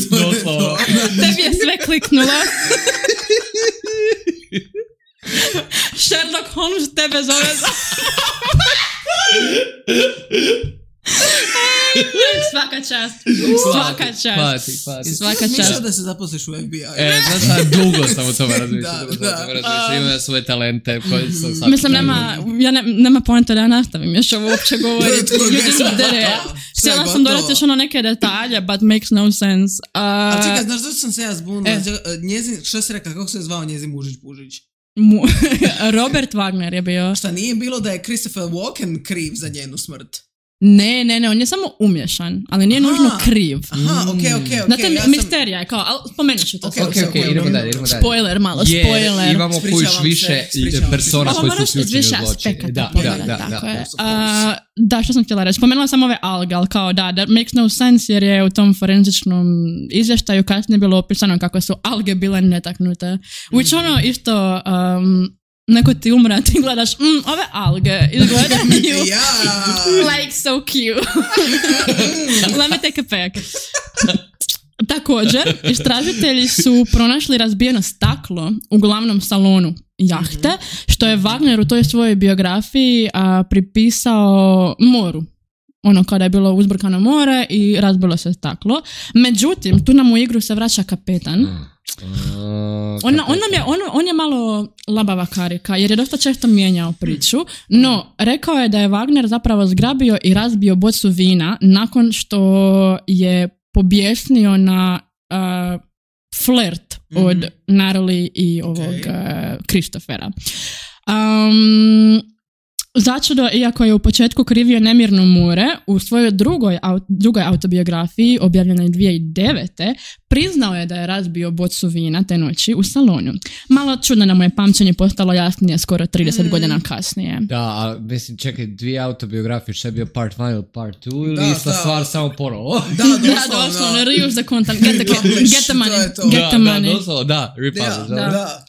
Doslovno. Tebi je sve kliknulo. Sherlock Holmes tebe zove za... Svaka čast. Svaka čast. Pati, pati. Svaka čast. Mišao da se zaposliš u F B I. E, znaš, dugo sam o tome razmišljala. Da, da. Imam svoje talente koje sam sad... Mislim, nema, ja ne, nema poenta da ja nastavim još ovo uopće govoriti. Ljudi su dere. Htjela sam dodati još ono neke detalje, but makes no sense. Uh, Ali čekaj, znaš da sam se ja zbunila? E. Njezin, što si rekao, kako se je zvao njezin mužić Pužić? Mu, Robert Wagner je bio. Šta nije bilo da je Christopher Walken kriv za njenu smrt? Ne, ne, ne, on je samo umješan, ali nije aha, nužno kriv. Aha, okej, okej, okej. Znate, ja misterija je kao, ali spomenut ću to. Okej, okej, okay, idemo dalje, idemo dalje. Spoiler, malo, je, spoiler. Imamo kojiš više persona koji su uključeni u zločine. Aspekata da, pogledat, da, tako da, je. Da, uh, da, što sam htjela reći. Spomenula sam ove alge, ali kao da, that makes no sense jer je u tom forenzičnom izvještaju kasnije bilo opisano kako su alge bile netaknute. Which ono isto... Um, neko ti umre, ti gledaš, mm, ove alge izgledaju like so cute. Let me take a peek. Također, istražitelji su pronašli razbijeno staklo u glavnom salonu jahte, što je Wagner u toj svojoj biografiji a, pripisao moru. Ono kada je bilo uzburkano more i razbilo se staklo. Međutim, tu nam u igru se vraća kapetan. Uh, on, on, nam je, on, on je malo labava karika jer je dosta često mijenjao priču, no rekao je da je Wagner zapravo zgrabio i razbio bocu vina nakon što je pobjesnio na uh, flirt mm-hmm. od Natalie i ovog okay. uh, Christophera. Um, Začudo, iako je u početku krivio nemirno more, u svojoj drugoj, drugoj autobiografiji, objavljenoj dvije tisuće devete. priznao je da je razbio bocu vina te noći u salonu. Malo čudno da mu je pamćenje postalo jasnije skoro trideset mm. godina kasnije. Da, a mislim, čekaj, dvije autobiografije, što je bio part one ili part two, ili da, ista stvar samo ponovo? Da, doslovno. Da, doslovno, reuse the content, get the, get the money, get the money. Da, doslovno, da, republish, da. da.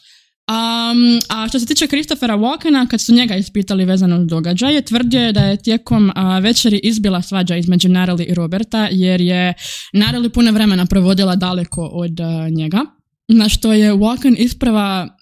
Um, a što se tiče Christophera Walkena, kad su njega ispitali vezano uz događaje, tvrdio je da je tijekom uh, večeri izbila svađa između Natalie i Roberta, jer je Natalie puno vremena provodila daleko od uh, njega, na što je Walken isprava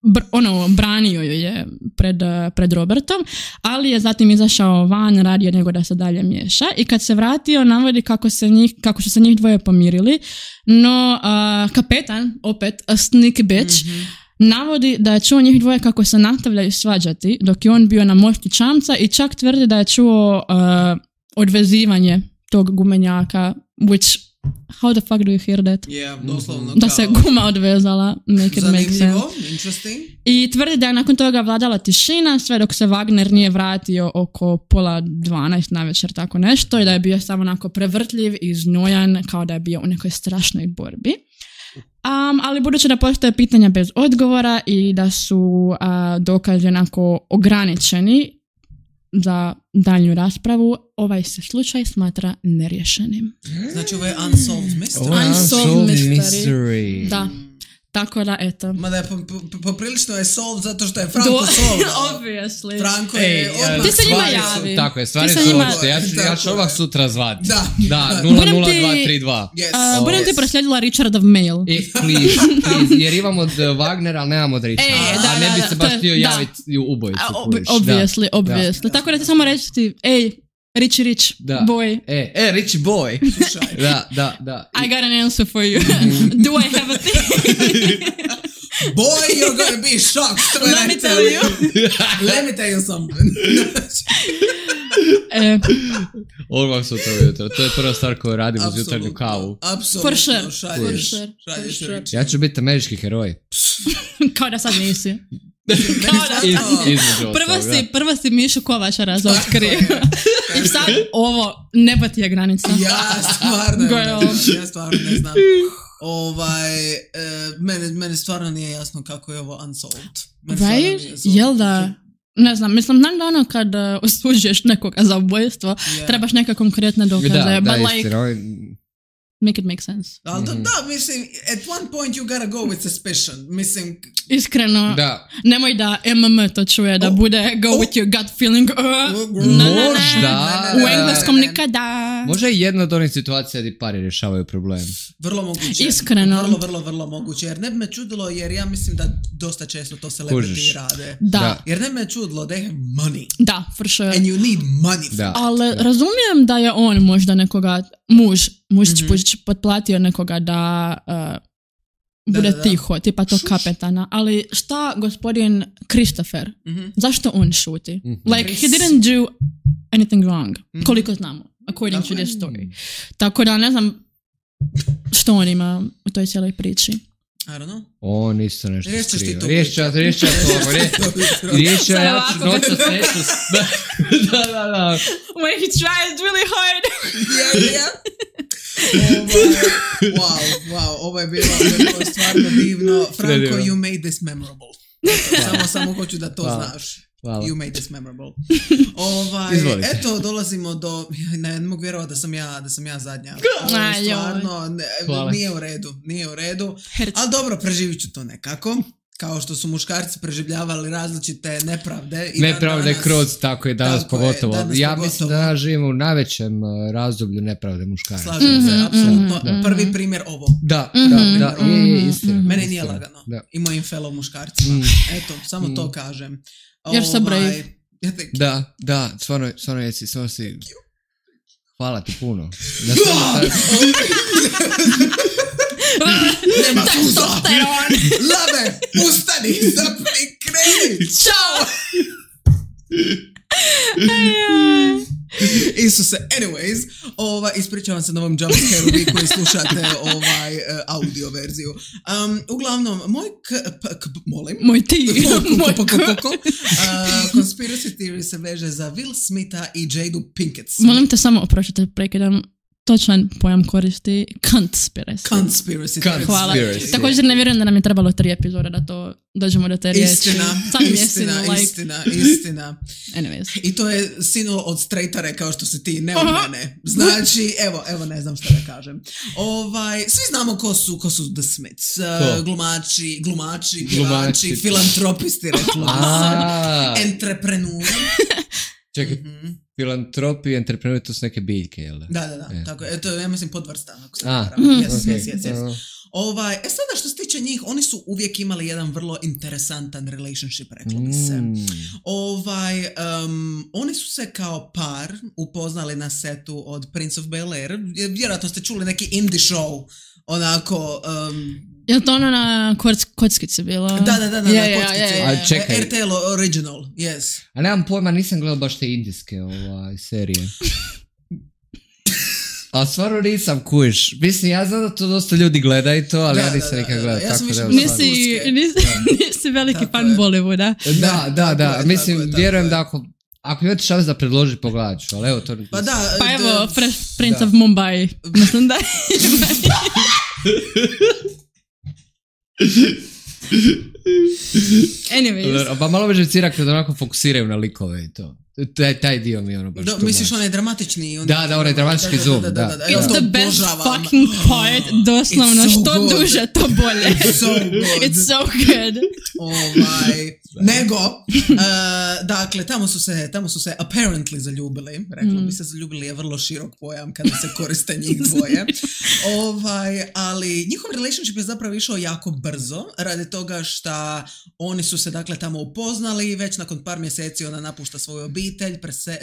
br- ono, branio ju je pred, uh, pred Robertom, ali je zatim izašao van, radio nego da se dalje miješa, i kad se vratio navodi kako, se njih, kako su se njih dvoje pomirili, no uh, kapetan, opet, a sneaky bitch, mm-hmm. navodi da je čuo njih dvoje kako se nastavljaju svađati dok je on bio na mostu čamca, i čak tvrdi da je čuo uh, odvezivanje tog gumenjaka, which, how the fuck do you hear that? Yeah, doslovno. Da se guma odvezala, make it make sense. Interesting. I tvrdi da je nakon toga vladala tišina sve dok se Wagner nije vratio oko pola dvanaest navečer, tako nešto, i da je bio samo onako prevrtljiv i znojan, kao da je bio u nekoj strašnoj borbi. Um, ali budući da postoje pitanja bez odgovora i da su uh, dokazi onako ograničeni za daljnju raspravu, ovaj se slučaj smatra neriješenim. Znači ovo je unsolved mystery. Oh, unsolved mystery. mystery. Da. Tako da, eto. Mada je poprilično je solved zato što je Franko Do, solved. Obviously. Franko je... Ej, odmah. Ti se njima javi. Tako je, stvari su njima... Ja ću, ja ću ovak sutra zvati. Da. Da, nula nula dva tri dva. Yes. Uh, budem ti proslijedila Richardov mail. E, please, please, jer imam od Wagnera, ali nemam od Richarda. E, da, a ne bi da, se baš da, htio da. javiti u ubojicu. Obviously, da. obviously. Da. Tako da ti samo reći ti, ej, Richie Rich, da. boy. E, e, Richie boy. Da, da, da. I got an answer for you. Do I have a thing? Boy, you're gonna be shocked when Let I me tell, tell you. Let me tell you something. e. Odmah sutra ujutro. To je prva stvar koju radim uz jutarnju kavu. Apsolutno. For sure. For sure. For sure. Ja ću biti američki heroj. Kao da sad nisi. Iz, između prvo si, prvo si Mišu Kovača razotkrio. I sad ovo, neba ti je granica. Ja stvarno ne znam. Ja stvarno ne znam. Ovaj, e, mene, mene stvarno nije jasno kako je ovo unsolved. Right? Jel da? Ne znam, mislim, znam da ono kad uh, osuđuješ nekoga za ubojstvo, yeah. trebaš neke konkretne dokaze. Da, but da, like, istina. make it make sense. Ali da, da, mislim, at one point you gotta go with suspicion. Mislim... Iskreno, da. Nemoj da M M to čuje, da oh. bude go oh. with your gut feeling. Uh, Možda. U engleskom nikada. Možda je jedna od onih situacija gdje pari rješavaju problem. Vrlo moguće. Iskreno. Vrlo, vrlo, vrlo moguće. Jer ne bi me čudilo, jer ja mislim da dosta često to celebrity rade. Da. da. Jer ne bi me čudilo, they have money. Da, for sure. And you need money for da. Ali da. razumijem da je on možda nekoga, muž, mužić mm-hmm. potplatio nekoga da... Uh, bude da, da, da. tiho, tipa to kapetana, ali šta gospodin Christopher, mm-hmm. zašto on šuti? Mm-hmm. Like, he didn't do anything wrong, mm-hmm. koliko znamo, according to this story. Tako da ne znam što on ima u toj cijeloj priči. I don't know. On isto nešto skrio. Riješit ću, riješit ću to. Riješit ću, ja ću noćas nešto... Da, da, da. When he tries really hard. Yeah, yeah. Ovaj, wow, wow, ovo je bilo, bilo stvarno divno. Franko, you made this memorable. Samo, samo hoću da to Hvala. znaš. Hvala. You made this memorable. Ovaj, eto, dolazimo do... Ne, ne mogu vjerovati da sam ja, da sam ja zadnja. Ovo stvarno ne, nije u redu. Nije u redu. Ali dobro, preživit ću to nekako. Kao što su muškarci preživljavali različite nepravde. I nepravde danas, kroz, tako je danas tako pogotovo. Je, danas ja pogotovo. mislim da živimo u najvećem razdoblju nepravde muškarca. Slažem mm-hmm, se, apsolutno. Mm-hmm. Prvi primjer ovo. Da, mm-hmm, da, da, mm-hmm, je, je istina. Mm-hmm. Mene istina. nije lagano. Da. I mojim fellow muškarcima. Mm. Eto, samo mm. to kažem. Jer sam brave. Da, da, stvarno, stvarno jesi, stvarno si... Hvala ti puno. Nema suza. Lave, ustani, zapni, kreni. Ćao. Isuse, anyways, ova, ispričavam se na ovom jumpscare-u vi koji slušate ovaj uh, audio verziju. Um, uglavnom, moj k, p, k, molim. Moj ti. Moj k. Uh, conspiracy theory se veže za Will Smitha i Jadu Pinkett Smith. Molim te samo oprošite, prekidam. Točan pojam koristi conspiracy. Conspiracy. Hvala. Također ne vjerujem da nam je trebalo tri epizode da to dođemo do te riječi. Istina, istina, like... istina, istina. Anyways. I to je sinulo od straighta rekao što si ti, ne od mene. Znači, evo, evo ne znam šta da kažem. Ovaj, svi znamo ko su, ko su The Smiths. Uh, glumači, glumači, pjevači, filantropisti, reklo bi se. Entreprenuri. Čekaj, mm-hmm. filantropi i entrepreneur, to su neke biljke, jel da? Da, da, da, e. Tako je, to je, ja mislim, podvrsta, ako se ne varam. Yes, okay. yes, yes, yes. Ovaj, e sada što se tiče njih, oni su uvijek imali jedan vrlo interesantan relationship, reklo bi se. Mm. Ovaj, um, oni su se kao par upoznali na setu od Prince of Bel-Air. Vjerojatno ste čuli neki indie show, onako... Um, je li to ono na koc, kockici bilo? Da, da, da, na yeah, kockici. Yeah, yeah, yeah. R T L original, yes. A nemam pojma, nisam gledao baš te indijske ovaj, serije. A stvarno nisam, kuš. Mislim, ja znam da to dosta ljudi gleda i to, ali da, ja nisam nikad gledao. Ja tako da nisi, nisi, nisi veliki tako fan Bollywooda. Da, da, da. Je, mislim, tako vjerujem je, tako da ako... Ako imate šans da predloži, pogledat ću, ali evo to... Pa da, pa evo, Fresh Prince da. of Mumbai. Mislim da Anyways. Pa malo me živcira kada onako fokusiraju na likove i to. Taj, taj dio mi je ono baš Do, misliš onaj dramatični? On da, da, onaj dramatički da, zoom. Da, da, da, da. It's the best fucking part. Doslovno, so što good. Duže, to bolje. It's so good. It's so good. Ovaj, nego, uh, dakle, tamo su se, tamo su se apparently zaljubili. Reklo mm. bi se zaljubili je vrlo širok pojam kada se koriste njih dvoje. Ovaj, ali njihov relationship je zapravo išao jako brzo, radi toga što oni su se, dakle, tamo upoznali i već nakon par mjeseci ona napušta svoju obitelj, prese,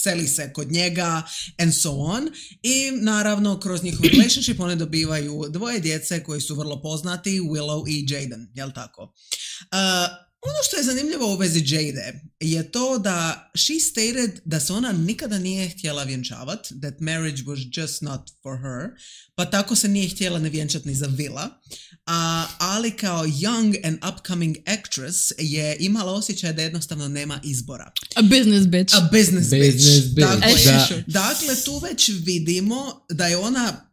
seli se kod njega and so on. I naravno kroz njihov relationship oni dobivaju dvoje djece koji su vrlo poznati, Willow i Jaden, jel tako? Uh, ono što je zanimljivo u vezi Jade je to da she stated da se ona nikada nije htjela vjenčavati, that marriage was just not for her, pa tako se nije htjela ne vjenčati ni za Willa, a, ali kao young and upcoming actress je imala osjećaj da jednostavno nema izbora. A business bitch. A business, business bitch. bitch. Dakle, da. dakle, tu već vidimo da je ona...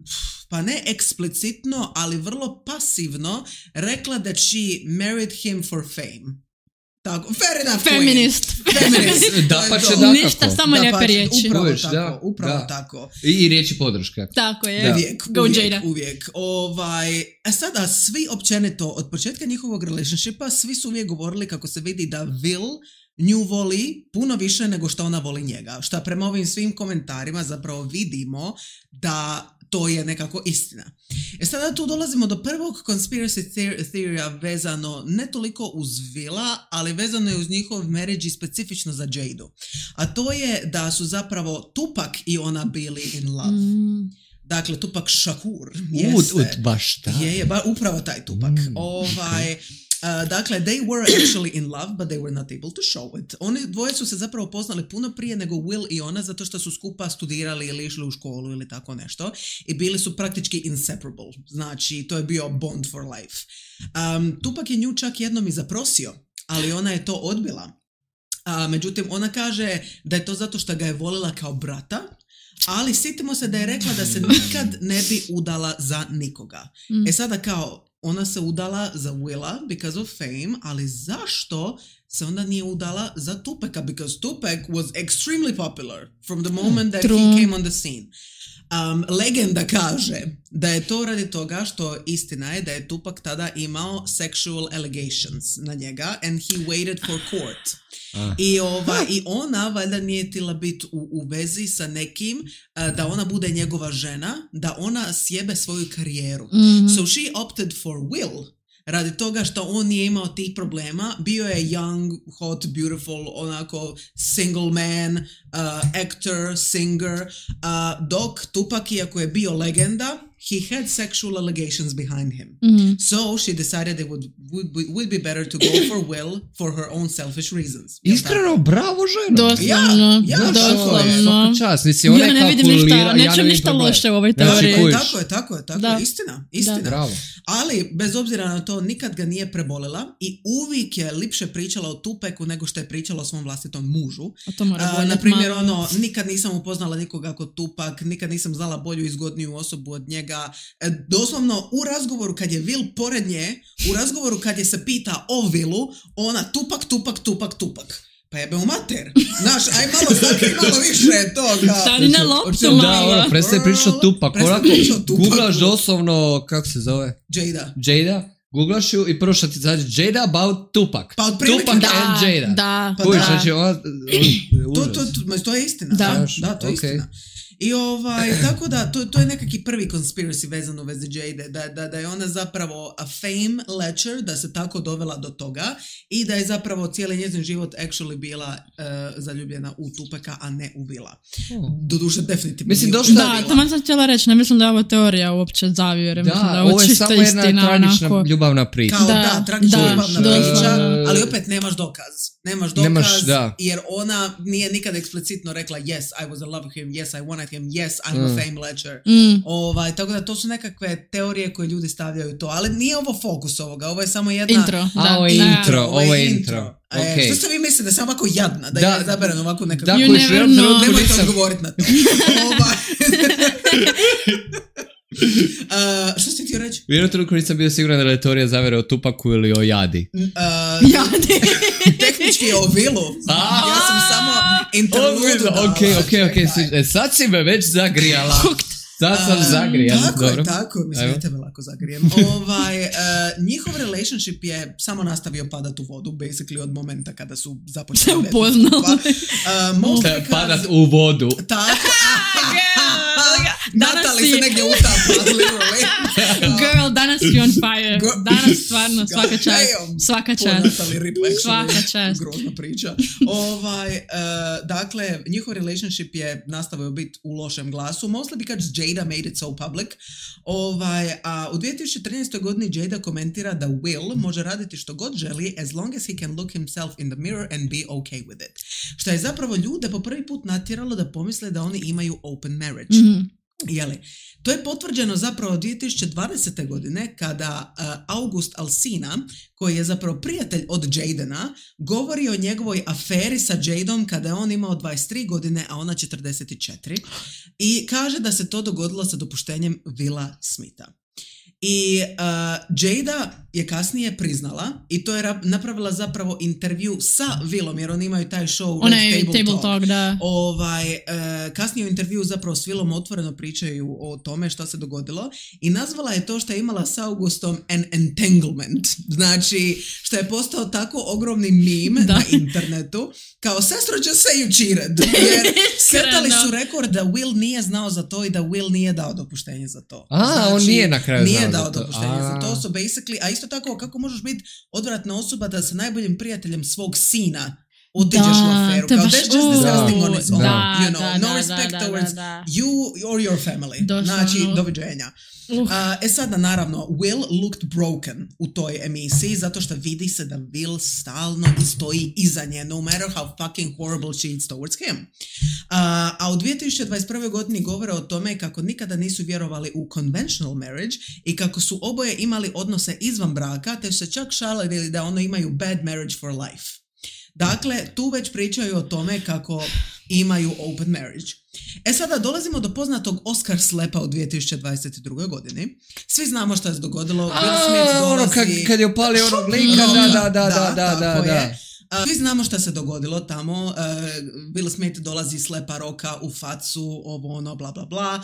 pa ne eksplicitno, ali vrlo pasivno rekla da she married him for fame. Tako, fair enough. Feminist. Feminist. Da, pa će da ništa, samo da, lijepe pa, riječi. Upravo Uvijek, tako, da, upravo da. tako. I, I riječi podrške. Tako je. Da. Uvijek, Go uvijek, Jada. uvijek. Ovaj, a sada svi općenito, od početka njihovog relationshipa, svi su uvijek govorili kako se vidi da Will nju voli puno više nego što ona voli njega. Šta prema ovim svim komentarima zapravo vidimo da to je nekako istina. E sada tu dolazimo do prvog conspiracy theory vezano ne toliko uz Willa, ali vezano je uz njihov marriage i specifično za Jadu. A to je da su zapravo Tupac i ona bili in love. Mm. Dakle, Tupac Shakur. Ut, ut, baš taj. Je, je, ba, upravo taj Tupac. Mm, ovaj... Uh, dakle, they were actually in love, but they were not able to show it. Oni dvoje su se zapravo poznali puno prije nego Will i ona, zato što su skupa studirali ili išli u školu ili tako nešto. I bili su praktički inseparable. Znači, to je bio bond for life. Um, Tupac je nju čak jednom i zaprosio, ali ona je to odbila. Uh, međutim, ona kaže da je to zato što ga je volila kao brata, ali sjetimo se da je rekla da se nikad ne bi udala za nikoga. Mm. E sada kao, ona se udala za Willa because of fame, ali zašto se onda nije udala za Tupaca? Because Tupac was extremely popular from the moment that True. he came on the scene. Um, legenda kaže da je to radi toga što istina je da je Tupac tada imao sexual allegations na njega and he waited for court. Ah. I, ova, I ona valjda nije htjela biti u, u vezi sa nekim uh, da ona bude njegova žena, da ona sjebe svoju karijeru. Mm-hmm. So she opted for Will radi toga što on nije imao tih problema. Bio je young, hot, beautiful, onako single man, uh, actor, singer, uh, dok Tupac, iako je bio legenda, he had sexual allegations behind him. Mm-hmm. So she decided it would, would, be, would be better to go for Will for her own selfish reasons. Iskreno, bravo žena. Doslovno, ja, ja, doslovno. Čas, nisi, ona ja ne vidim ništa, nećem ništa loše u ovoj teoriji. Tako je, tako je, tako je, tako je, istina, istina. Bravo. Ali, bez obzira na to, nikad ga nije prebolila i uvijek je lipše pričala o Tupacu nego što je pričala o svom vlastitom mužu. Uh, na primjer, ono, nikad nisam upoznala nikoga kod Tupac, nikad nisam znala bolju i zgodniju osobu od njega. E, doslovno, u razgovoru kad je Will pored nje, u razgovoru kad je se pita o Willu, ona Tupac, Tupac, Tupac, Tupac. Pa jebe u mater. Znaš, aj malo zakri, malo više toga. Stani na loptu malo. Da, ono, prestaje pričati o Tupac. Onako, googlaš doslovno, kako se zove? Jada. Jada. Googlaš ju i prvo što ti zađe Jada about Tupac. Pa otprilike Tupac da, and Jada. Da, Kuš, da. znači, ona, to, to, to, to je istina. Da, da to je okay. istina. I ovaj, tako da, to, to je nekaki prvi conspiracy vezan u vezi Jade, da, da, da je ona zapravo a fame ledger, da se tako dovela do toga i da je zapravo cijeli njezin život actually bila uh, zaljubljena u Tupaca, a ne u Willa. Oh. Doduše, definitivno. Mislim, došla da, tamo sam htjela reći, ne mislim da je ovo teorija uopće zavjere. Da, mislim da ovo je samo jedna istina, tragična onako. ljubavna priča. Kao da, da, tragična da, ljubavna da, priča, da. ali opet nemaš dokaz. Nemaš dokaz, Nemaš, da. jer ona nije nikad eksplicitno rekla yes, I was in love with him, yes, I wanted him, yes, I'm mm. a fame ledger. Mm. Ovaj, tako da to su nekakve teorije koje ljudi stavljaju to, ali nije ovo fokus ovoga, ovo je samo jedna... Intro. A, Da, ovo je da. intro, ovo je intro. E, Okay. što ste vi mislite, da sam ovako jadna, da, Da. je zaberan ovako nekako... Da, You koji never želim know. trenutku Nemojte nisam- odgovoriti na to. Ovaj. uh, što si htio reći? U jednom trenutku nisam bio siguran da je teorija zavere o Tupacu ili o Jadi. Uh, Jadi. tehnički je o Willu. A. Ja sam samo interludu dala. Ok, ok, ok. E, sad si me već zagrijala. Sad sam Uh, zagrijan. Tako Dobro. je, tako je. Mislim, Evo. ja tebe lako zagrijem. ovaj, uh, njihov relationship je samo nastavio padat u vodu, basically od momenta kada su započeli. Se upoznali. Uh, mostly E, because- Padat u vodu. Tako. Danas Natali si- se negdje utapa, literally. Girl, danas si on fire. Go- Danas stvarno, svaka čast. Damn. Svaka Po čast. Natali Rip, actually. Svaka čast. Grozna priča. ovaj, uh, dakle, njihov relationship je nastavio biti u lošem glasu, mostly because Jada made it so public. Ovaj, a u dvije tisuće trinaestoj godini Jada komentira da Will može raditi što god želi as long as he can look himself in the mirror and be okay with it. Što je zapravo ljude po prvi put natjeralo da pomisle da oni imaju open marriage. Mm-hmm. Jeli, to je potvrđeno zapravo dvije tisuće dvadesete godine kada uh, August Alsina, koji je zapravo prijatelj od Jadena, govori o njegovoj aferi sa Jadom kada je on imao dvadeset tri godine, a ona četrdeset četiri, i kaže da se to dogodilo sa dopuštenjem Willa Smitha. I uh, Jada je kasnije priznala i to je rap- napravila zapravo intervju sa Willom, jer oni imaju taj show Onaj Red table, table talk, da. Ovaj, uh, kasnije u intervju zapravo s Willom otvoreno pričaju o tome što se dogodilo i nazvala je to što je imala s Augustom an entanglement. Znači, što je postao tako ogromni meme Da. na internetu, kao sestro just say you cheated. Jer setali su rekord da Will nije znao za to i da Will nije dao dopuštenje za to. A, on nije na kraju Nije znao dao za to. dopuštenje A. za to. So basically, a isto tako, kako možeš biti odvratna osoba da sa najboljim prijateljem svog sina otiđeš Da, u aferu. to je Kao, baš- that's just disgusting on its own. Da, You know, da, no da, respect da, da, towards da. you or your family. Doslovno. Znači, doviđenja. Uh. Uh, e sada, naravno, Will looked broken u toj emisiji zato što vidi se da Will stalno stoji iza nje, no matter how fucking horrible she is towards him. Uh, a u dvije tisuće dvadeset prvoj godini govore o tome kako nikada nisu vjerovali u conventional marriage i kako su oboje imali odnose izvan braka, te su se čak šalili da ono imaju bad marriage for life. Dakle, tu već pričaju o tome kako imaju open marriage. E sada dolazimo do poznatog Oscar slepa u dvije tisuće dvadeset drugoj godini. Svi znamo što se dogodilo. Will Smith A, dolazi... ono, kad, kad je opalio onog lika, da, da, da, da, da, da, tako da. je. Uh, svi znamo što se dogodilo tamo. Uh, Will Smith dolazi slepa roka u facu, ovo ono, bla, bla, bla.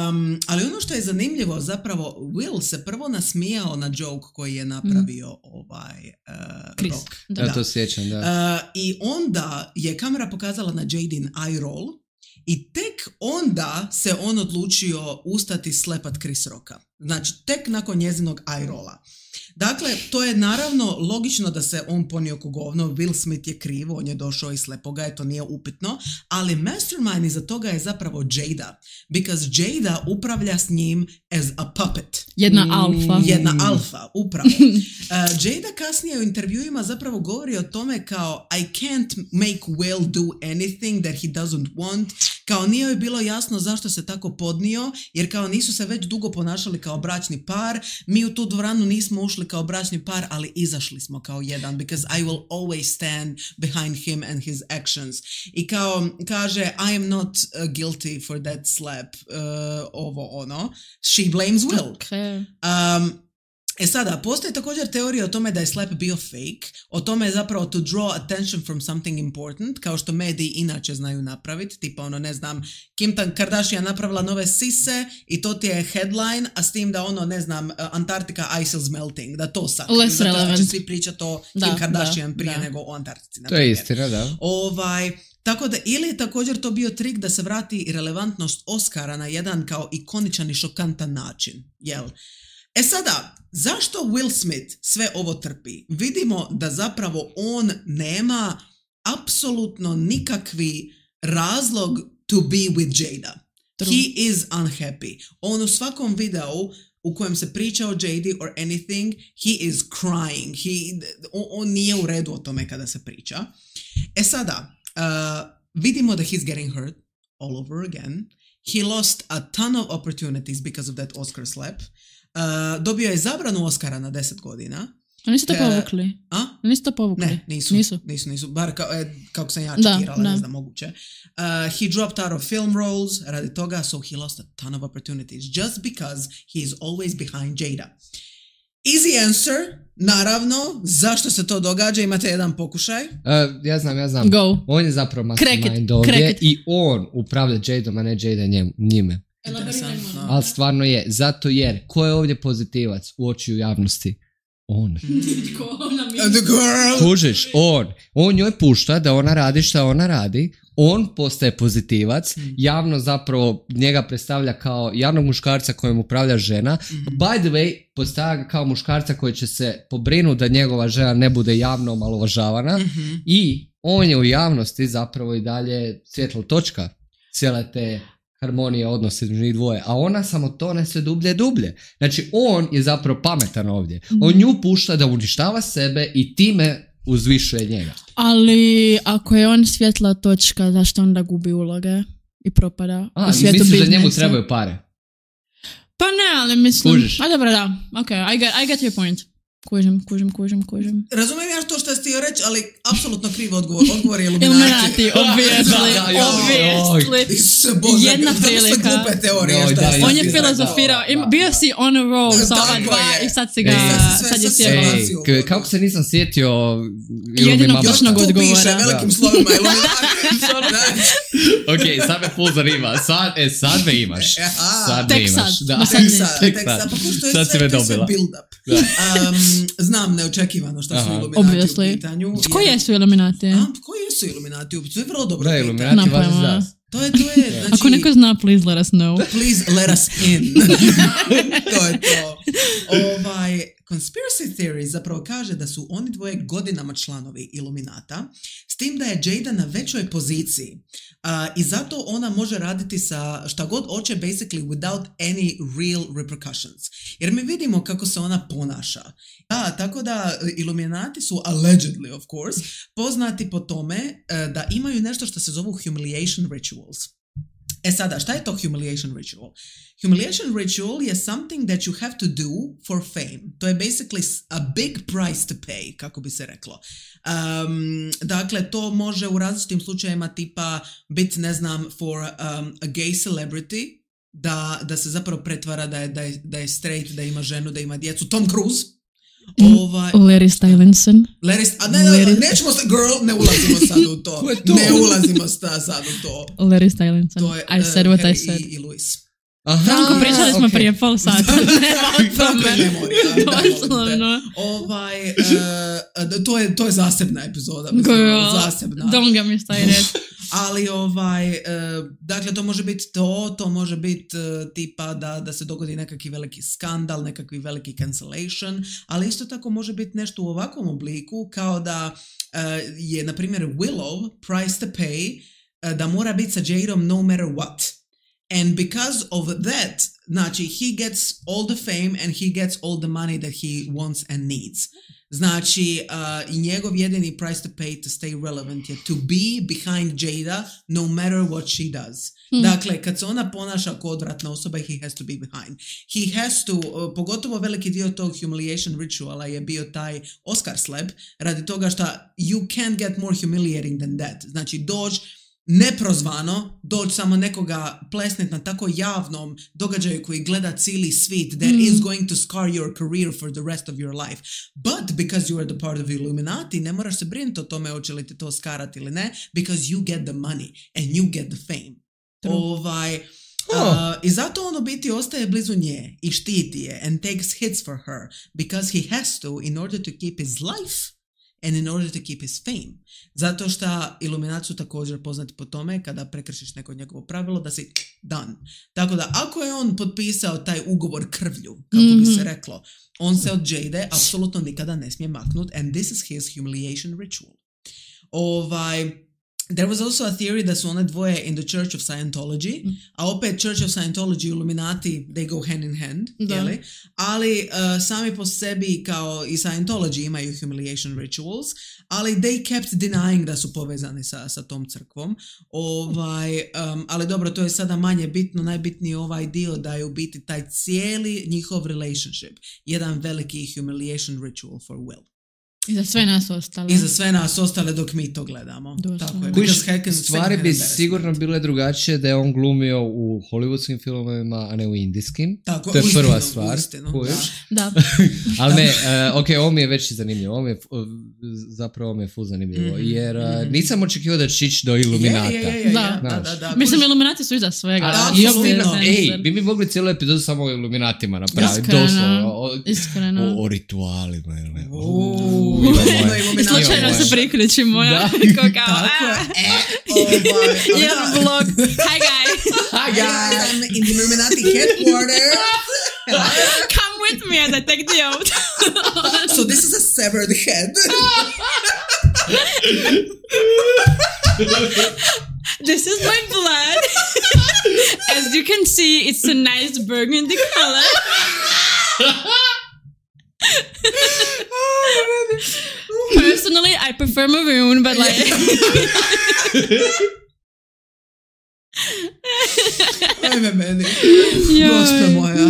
Um, ali ono što je zanimljivo, zapravo, Will se prvo nasmijao na joke koji je napravio mm. ovaj uh, Chris. Rock. Da. Ja to sjećam, da. Uh, I onda je kamera pokazala na Jadin eye roll i tek onda se on odlučio ustati slepat Chris Rocka. Znači, tek nakon njezinog eye rolla. Dakle, to je naravno logično da se on ponio ko govno, Will Smith je krivo, on je došao i slepo ga je, to nije upitno, ali mastermind iza toga je zapravo Jada, because Jada upravlja s njim as a puppet. Jedna alfa. Jedna alfa, upravo. Uh, Jada kasnije u intervjuima zapravo govori o tome kao I can't make Will do anything that he doesn't want, kao nije joj bilo jasno zašto se tako podnio, jer kao nisu se već dugo ponašali kao bračni par, mi u tu dvoranu nismo ušli kao bračni par, ali izašli smo kao jedan, because I will always stand behind him and his actions. I kao kaže I am not uh, guilty for that slap, uh, ovo ono, she blames Will. Okay. Um, E sada, postoji također teorija o tome da je slap bio fake, o tome je zapravo to draw attention from something important, kao što mediji inače znaju napraviti, tipa ono, ne znam, Kim Kardashian napravila nove sise i to ti je headline, a s tim da ono, ne znam, Antarctica ice is melting, da to sad. Less relevant. Zato će svi pričati o da, Kim Kardashian da, prije da. nego o Antarktici. To je istina, da. Ovaj... Tako da, ili je također to bio trik da se vrati relevantnost Oscara na jedan kao ikoničan i šokantan način, jel? E sada, zašto Will Smith sve ovo trpi? Vidimo da zapravo on nema apsolutno nikakvi razlog to be with Jada. True. He is unhappy. On u svakom videu u kojem se priča o Jadi or anything, he is crying. He, on, on nije u redu o tome kada se priča. E sada, uh, vidimo da he's getting hurt all over again. He lost a ton of opportunities because of that Oscar slap. Uh, dobio je zabranu Oscara na deset godina. A nisu to povukli? A? Nisu to povukli? Ne, nisu. Nisu, nisu, nisu. Bar kao, e, kako sam ja da, čekirala, da. ne znam, moguće. Uh, he dropped out of film roles radi toga, so he lost a ton of opportunities just because he is always behind Jada. Easy answer, naravno, zašto se to događa, imate jedan pokušaj. Uh, ja znam, ja znam. Go. On je zapravo mastermind ovdje i on upravlja Jadom, a ne Jada njem, njime. Interesantno. Ali stvarno je, zato jer, ko je ovdje pozitivac u očiju javnosti? On. The girl. Kužiš, on. On njoj pušta da ona radi šta ona radi. On postaje pozitivac. Javno zapravo njega predstavlja kao javnog muškarca kojem upravlja žena. By the way, postavlja ga kao muškarca koji će se pobrinuti da njegova žena ne bude javno omalovažavana. Mm-hmm. I on je u javnosti zapravo i dalje svjetlo točka cijele te harmonija odnosa između njih dvoje, a ona samo tone sve dublje i dublje. Znači, on je zapravo pametan ovdje. On nju pušta da uništava sebe i time uzvišuje njega. Ali ako je on svjetla točka, zašto onda gubi uloge i propada a, u svijetu biznisa? Misliš da njemu trebaju pare? Pa ne, ali mislim... Kužiš? A dobro, da. Ok, I get, I get your point. Kužim, kužim, kužim, kužim. Razumijem ja to što ste htio reći, ali apsolutno krivo odgovor. Odgovor je Illuminati. Illuminati, obviously, obviously. Jedna prilika. Glupe teorije. Joj, da, on je filozofirao, bio si on a roll sa ova dva i sad si ga, Ej, sad je sjebao. Ej, kako se nisam sjetio jedinog točnog odgovora. Još tu piše velikim slovima Illuminati. Ok, sad me full zanima. Sad, e, sad me imaš. Sad me tek imaš. sad. Da. Tek sad. Tek sad. Pa ko što je sad sve, si me to je sve dobila. build up. Um, znam neočekivano što su Illuminati Obviously. u pitanju. Koji jesu Illuminati? A, koji jesu Illuminati? To je vrlo dobro da, pitanje. Illuminati važi za. To je, to je, znači... Ako neko zna, please let us know. Please let us in. To je to. Ovaj, conspiracy theory zapravo kaže da su oni dvoje godinama članovi Illuminata, s tim da je Jada na većoj poziciji. Uh, I zato ona može raditi sa šta god hoće, basically without any real repercussions. Jer mi vidimo kako se ona ponaša. Da, tako da Illuminati su, allegedly of course, poznati po tome uh, da imaju nešto što se zovu humiliation rituals. E sada, šta je to humiliation ritual? Humiliation ritual je something that you have to do for fame. To je basically a big price to pay, kako bi se reklo. Um, dakle, to može u različitim slučajevima tipa biti, ne znam, for um, a gay celebrity, da, da se zapravo pretvara da je, da, je, da je straight, da ima ženu, da ima djecu. Tom Cruise. Ovaj, Larry Stylinson. Larry, a ne, Larry... nećemo se, girl, ne ulazimo sad u to. to? Ne ulazimo sad u to. Larry Stylinson. To je, I said what Harry I said. I, i Louis. Aha, Franko, pričali smo okay. prije pol sata. Franko je memorija. Doslovno. Ovaj, uh, to, je, to je zasebna epizoda. Mislim, zasebna. Don't get me started. Ali ovaj, uh, dakle to može biti to, to može biti uh, tipa da, da se dogodi nekakvi veliki skandal, nekakvi veliki cancellation, ali isto tako može biti nešto u ovakvom obliku kao da uh, je na primjer Willow price to pay uh, da mora biti sa Jadom no matter what. And because of that, znači, he gets all the fame and he gets all the money that he wants and needs. Znači, uh, i njegov jedini price to pay to stay relevant je to be behind Jada no matter what she does. Hmm. Dakle, kad se ona ponaša kao odvratna osoba, he has to be behind. He has to, uh, pogotovo veliki dio tog humiliation rituala je bio taj Oscar slap, radi toga što you can't get more humiliating than that. Znači, dođ neprozvano, doći samo nekoga plesnit na tako javnom događaju koji gleda cijeli svijet that mm. is going to scar your career for the rest of your life. But because you are the part of Illuminati, ne moraš se brinuti o tome hoće li te to skarati ili ne, because you get the money and you get the fame. True. Ovaj, oh. uh, I zato on u biti ostaje blizu nje i štiti je and takes hits for her because he has to in order to keep his life and in order to keep his fame. Zato što Illuminati su također poznati po tome kada prekršiš neko njegovo pravilo da si done. Tako da ako je on potpisao taj ugovor krvlju, kako mm-hmm. bi se reklo, on se od Jade apsolutno nikada ne smije maknut and this is his humiliation ritual. Ovaj... There was also a theory da su one dvoje in the Church of Scientology, mm. a opet Church of Scientology i Illuminati, they go hand in hand, jeli? Ali uh, sami po sebi kao i Scientology imaju humiliation rituals, ali they kept denying da su povezani sa, sa tom crkvom. Ovaj, um, ali dobro, to je sada manje bitno, najbitniji je ovaj dio da je u biti taj cijeli njihov relationship, jedan veliki humiliation ritual for Will. I za sve nas ostale. I za sve nas ostale dok mi to gledamo. Dosta. Tako je. Kuš, stvari bi sigurno bile drugačije da je on glumio u hollywoodskim filmovima, a ne u indijskim. Tako, to je prva stvar. Ustinu, da. da. Ali ne, uh, ok, ovo mi je već zanimljivo. Ovo mi je, uh, zapravo ovo mi je full zanimljivo. Mm-hmm. Jer uh, nisam očekivao da će ići do Illuminata. Je, je, je, je, da. Da, da, da. Mislim, Illuminati su iza svega. A, da, ej, bi mi mogli cijelu epizodu samo o Illuminatima napraviti. Iskreno. O, Iskreno. O, o ritualima. Ili, o, I slučajno se priključi moja. Tako je. Jedan vlog. Hi guys. Hi guys. I'm in the Illuminati headquarters. Come with me as I take the oath. So this is a severed head. This is my blood. As you can see, it's a nice burgundy color. Personally, I prefer maroon, but like... Ajme meni. Gospe moja.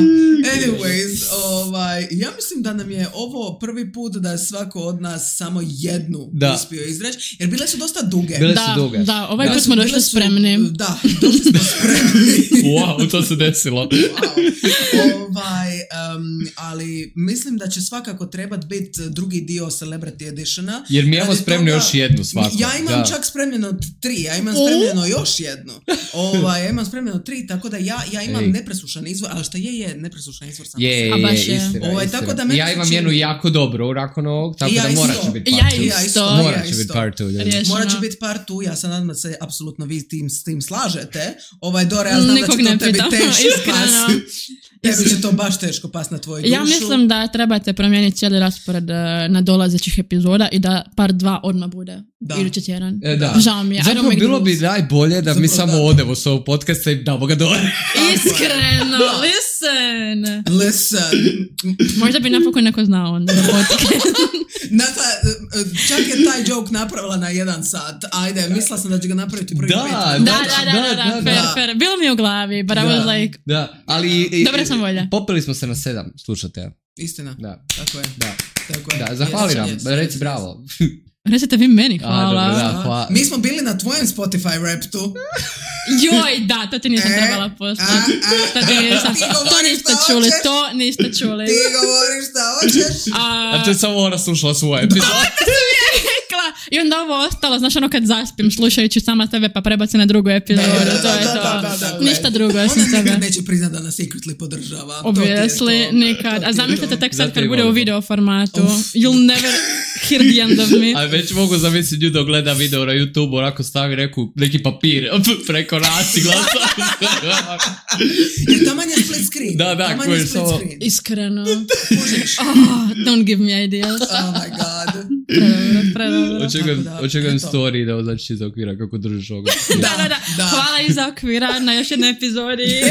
Anyways, ovaj, ja mislim da nam je ovo prvi put da je svako od nas samo jednu da. uspio izreći, jer bile su dosta duge. Bile da, su duge. Da, ovaj put smo došli spremni. Da, došli smo spremni. Wow, to se desilo. Wow. Ovaj, um, ali mislim da će svakako trebati biti drugi dio Celebrity Editiona. Jer mi imamo spremno toga, još jednu svako. Ja imam da. čak spremljeno tri, ja imam spremljeno još jednu. Ovaj, ja imam spremljeno tri, tako da ja, ja imam Ej. nepresušan izvor, ali šta je, je nepresušan izvor sam. Je, je, je, istina, ovaj, istina. Tako da ja imam jednu jako dobru nakon ovog, tako ja da morat će biti part two. Ja isto. Morat će biti part two. Morat će biti part two, ja sam nadam da se apsolutno vi tim, s tim slažete. Ovaj, Dore, ja znam Nikog da će to tebi teško pas. Tebi će to baš teško pas na tvoju dušu. Ja mislim da trebate promijeniti cijeli raspored na dolazećih epizoda i da part dva odmah bude. Da. Idući tjedan. E, da. Žao mi je. Zapravo bilo bi najbolje da Zapravo, mi samo da. odemo s ovog podcasta i damo ga dole. Iskreno, listen. Listen. Možda bi napokon neko znao onda na podcast. Nata, čak je taj joke napravila na jedan sat. Ajde, mislila sam da će ga napraviti prvi da, pet. Da, da, da, da, da, da, fair, fair. Bilo mi u glavi, but da. I was like... Da, ali... Dobra sam volja. Popili smo se na sedam, slušate. Istina. Da. Tako je. Da. Tako je. Da, zahvali nam, yes, reci yes, bravo. Recite vi meni, hvala. A, dobro, da, hvala. Mi smo bili na tvojem Spotify raptu. Joj, da, to ti nisam e, trebala poslati. To, to niste čuli, to niste čuli. Ti govoriš šta hoćeš. A, a to je samo ona slušala svoje epizode. To sam ja rekla. I onda ovo ostalo, znaš ono kad zaspim slušajući sama tebe pa prebaci na drugu epizodu, to je to. Ništa drugo osim tebe. Ona nikad neće priznat da nas secretly podržava. Obviously, nikad. A zamislite tek sad kad bude u video formatu. You'll never hear the end of me. A već mogu zamisliti nju da gleda video na YouTube, onako stavi neku, neki papir preko nas i glasa. Jer taman je split screen. Da, da, koji je samo... Iskreno. Oh, don't give me ideas. Oh my god. Predobro, predobro. Očekujem, očekujem story da označi iz okvira kako držiš ovoga. Da, da, da, da. Hvala iz okvira na još jednoj epizodi.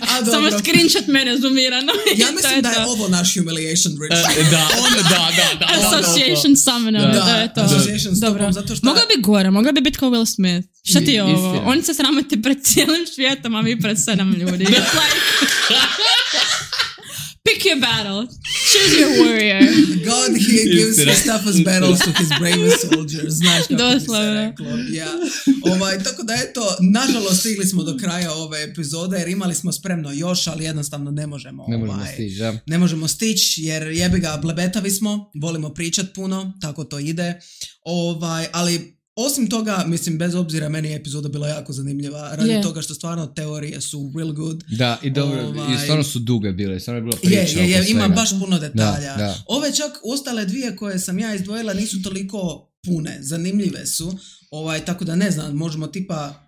A, samo screenshot mene zoomirano. Ja mislim da je ovo naš humiliation ritual. Da, da, da, da. Association summoner, da je to. Association s tobom, zato što... Mogla bi gore, mogla bi biti kao Will Smith. Šta ti je ovo? Oni se sramoti pred cijelim svijetom, a mi pred sedam ljudi. It's like... Pick your battle. Choose your warrior. God, he gives his toughest battles to his bravest soldiers. Znaš kako bi se reklo. Yeah. Ovaj, tako da eto, nažalost stigli smo do kraja ove epizode jer imali smo spremno još, ali jednostavno ne možemo. Ne ovaj, možemo stići, ja. Ne možemo stići jer jebi ga, blebetavi smo, volimo pričat puno, tako to ide. Ovaj, ali... Osim toga, mislim, bez obzira, meni je epizoda bila jako zanimljiva, radi yeah. toga što stvarno teorije su real good. Da, i dobro, ovaj... i stvarno su duge bile, stvarno je bilo priča je, je, je, oko ima svega. baš puno detalja. Da, da. Ove čak ostale dvije koje sam ja izdvojila nisu toliko pune, zanimljive su, ovaj, tako da ne znam, možemo tipa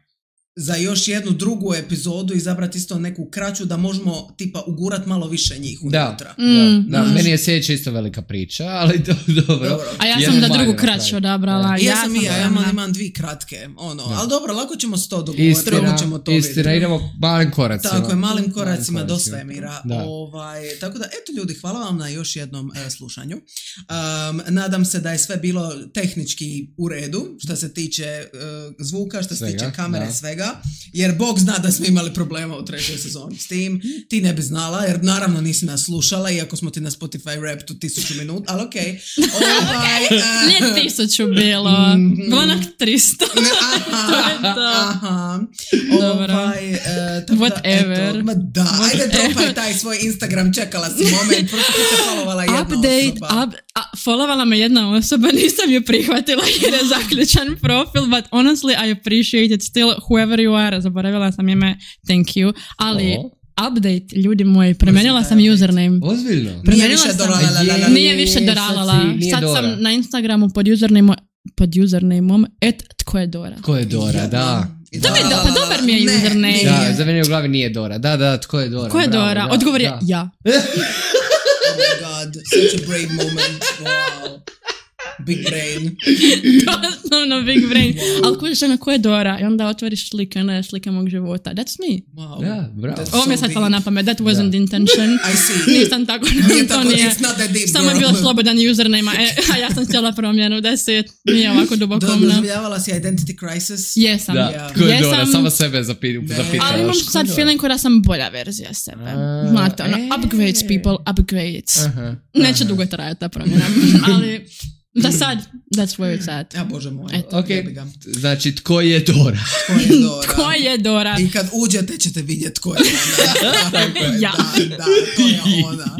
za još jednu drugu epizodu izabrati isto neku kraću da možemo tipa ugurat malo više njih unutra. Da, mm, da, da. Meni je sljedeća isto velika priča, ali do, dobro. dobro. A ja sam da drugu kraću odabrala. Ja, ja sam i ja, ja imam, imam dvije kratke. Ono. Ali dobro, lako ćemo s to dogovoriti. Istina, ćemo to istina idemo malim koracima. Tako je, malim koracima malim do svemira. Ovaj, tako da, eto ljudi, hvala vam na još jednom uh, slušanju. Um, nadam se da je sve bilo tehnički u redu, što se tiče uh, zvuka, što se svega, tiče kamere, da. Svega. Jer Bog zna da smo imali problema u trećoj sezoni s tim. Ti ne bi znala, jer naravno nisi nas slušala, iako smo ti na Spotify rap tu tisuću minut, ali okej. Okay. Ovaj, uh, Nije tisuću bilo, mm, bilo onak tristo. Aha, to je to. Aha. Dobro. Ovaj, uh, Whatever. Da, eto, ma da, Whatever. ajde dropaj taj svoj Instagram, čekala si moment, prosto ti te followovala jedna Update, osoba. Up, a, followovala me jedna osoba, nisam ju prihvatila jer je zaključan profil, but honestly I appreciate it still, whoever you are, zaboravila sam ime, thank you, ali oh. update, ljudi moji, promijenila sam username. Ozbiljno? Nije više doralala. Nije više doralala. Sad sam na Instagramu pod username pod usernameom et tko je Dora. Tko je Dora, da. To mi je do, pa dobar mi je ne, username. Da, za mene u glavi nije Dora. Da, da, tko je Dora? Tko je Bravo, Dora? da, odgovor je da. ja. Oh my god, such a brave moment. Wow. Big brain. Doslovno big brain. Wow. Ali kužiš ono ko je Dora i onda otvoriš slike, onda je slika mog života. That's me. Wow. Ja, bravo. Ovo mi je sad pala na pamet. That wasn't the intention. I see. Nisam tako. Nije to tako, nije. it's not that deep. Samo je bilo slobodan username, e, a ja sam htjela promjenu. That's it. Nije ovako dubokomno. Doživljavala si identity crisis? Jesam. Da, Yeah. tko je Jesam, Dora, samo sebe zapitaš. ali imam sad feeling da sam bolja verzija sebe. Znate, ono, upgrades people, upgrades. Uh-huh. Neće dugo trajati ta promjena, ali... Da sad, that's where it's at. Ja, Bože moj. Okay. Znači, tko je Dora? Tko je Dora? Tko je Dora? I kad uđete ćete vidjeti tko je ona. Ja. Da, da, to je ona.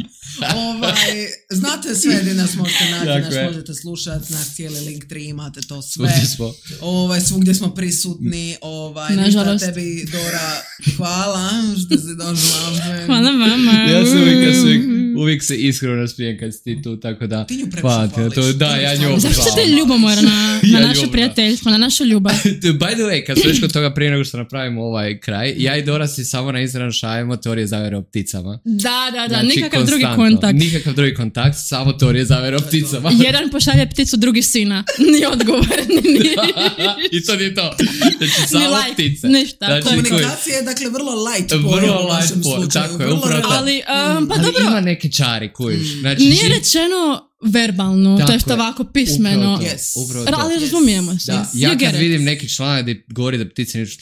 Ovaj, znate sve gdje nas možete naći, nas možete slušati, naš cijeli link tri, imate to sve. Svugdje smo. Ovaj, svugdje smo prisutni. Ovaj, ništa tebi, Dora, hvala što si došla. Hvala vama. Ja sam uvijek, uvijek, uvijek se iskreno naspijem kad si ti tu, tako da... Ti nju previše hvališ. To, da, ja nju zašto ste ljubomorna na, na ja naše prijateljstvo, na našu ljubav? By the way, kad smo već kod toga prije nego što napravimo ovaj kraj, ja i Dora si samo na Instagram šaljemo teorije zavere o pticama. Da, da, da, znači, nikakav drugi kontakt. Nikakav drugi kontakt, samo teorije zavere o pticama. Jedan pošalje pticu, drugi sina. Ni odgovor, ni... I to nije to. Znači, samo like, ptice. Ništa. Znači, komunikacija je, dakle, vrlo light pojam vrlo u vašem light slučaju. Tako je, upravo tako. Ali, um, pa ali dobro. ima neki čari, kujiš. Znači, nije rečeno verbalno, to je što ovako pismeno. Yes. Ali razumijemo se. Da. Ja kad vidim neki članak gdje govori da ptice nisu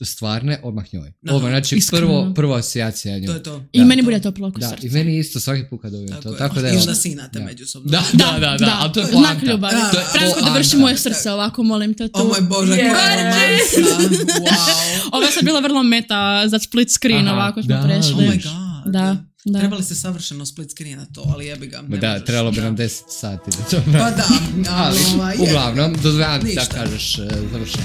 stvarne, odmah njoj. No, odmah, znači prvo, prvo asocijacija njoj. To je to. I da, meni bude to plako srce. I meni isto svaki put kad dobijem to. Tako da I onda sinate međusobno. Da, da, da, da, ali to je poanta. Znak ljubavi. Franko, da vrši moje srce ovako, molim te tu. O moj Bože, koja romansa. Wow. Ovo je sad bila vrlo meta za split screen, ovako smo prešli. Oh my god. Da. Da. Trebali se savršeno split screen na to, ali jebi ga. Da, možeš, trebalo bi da. nam deset sati da to... Pa da, ali, ali uglavnom, dozvoljam ti da kažeš uh, završeno.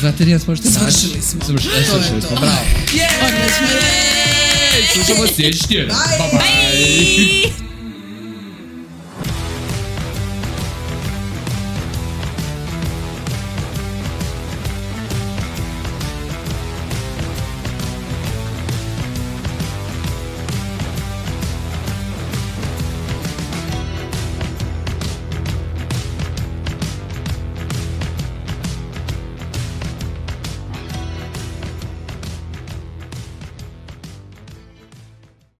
Znate li nas možete naći? Svršili smo. Svršili, to svršili smo, bravo. Yeah! Slušamo sljedeći tjedan. Bye bye! Bye.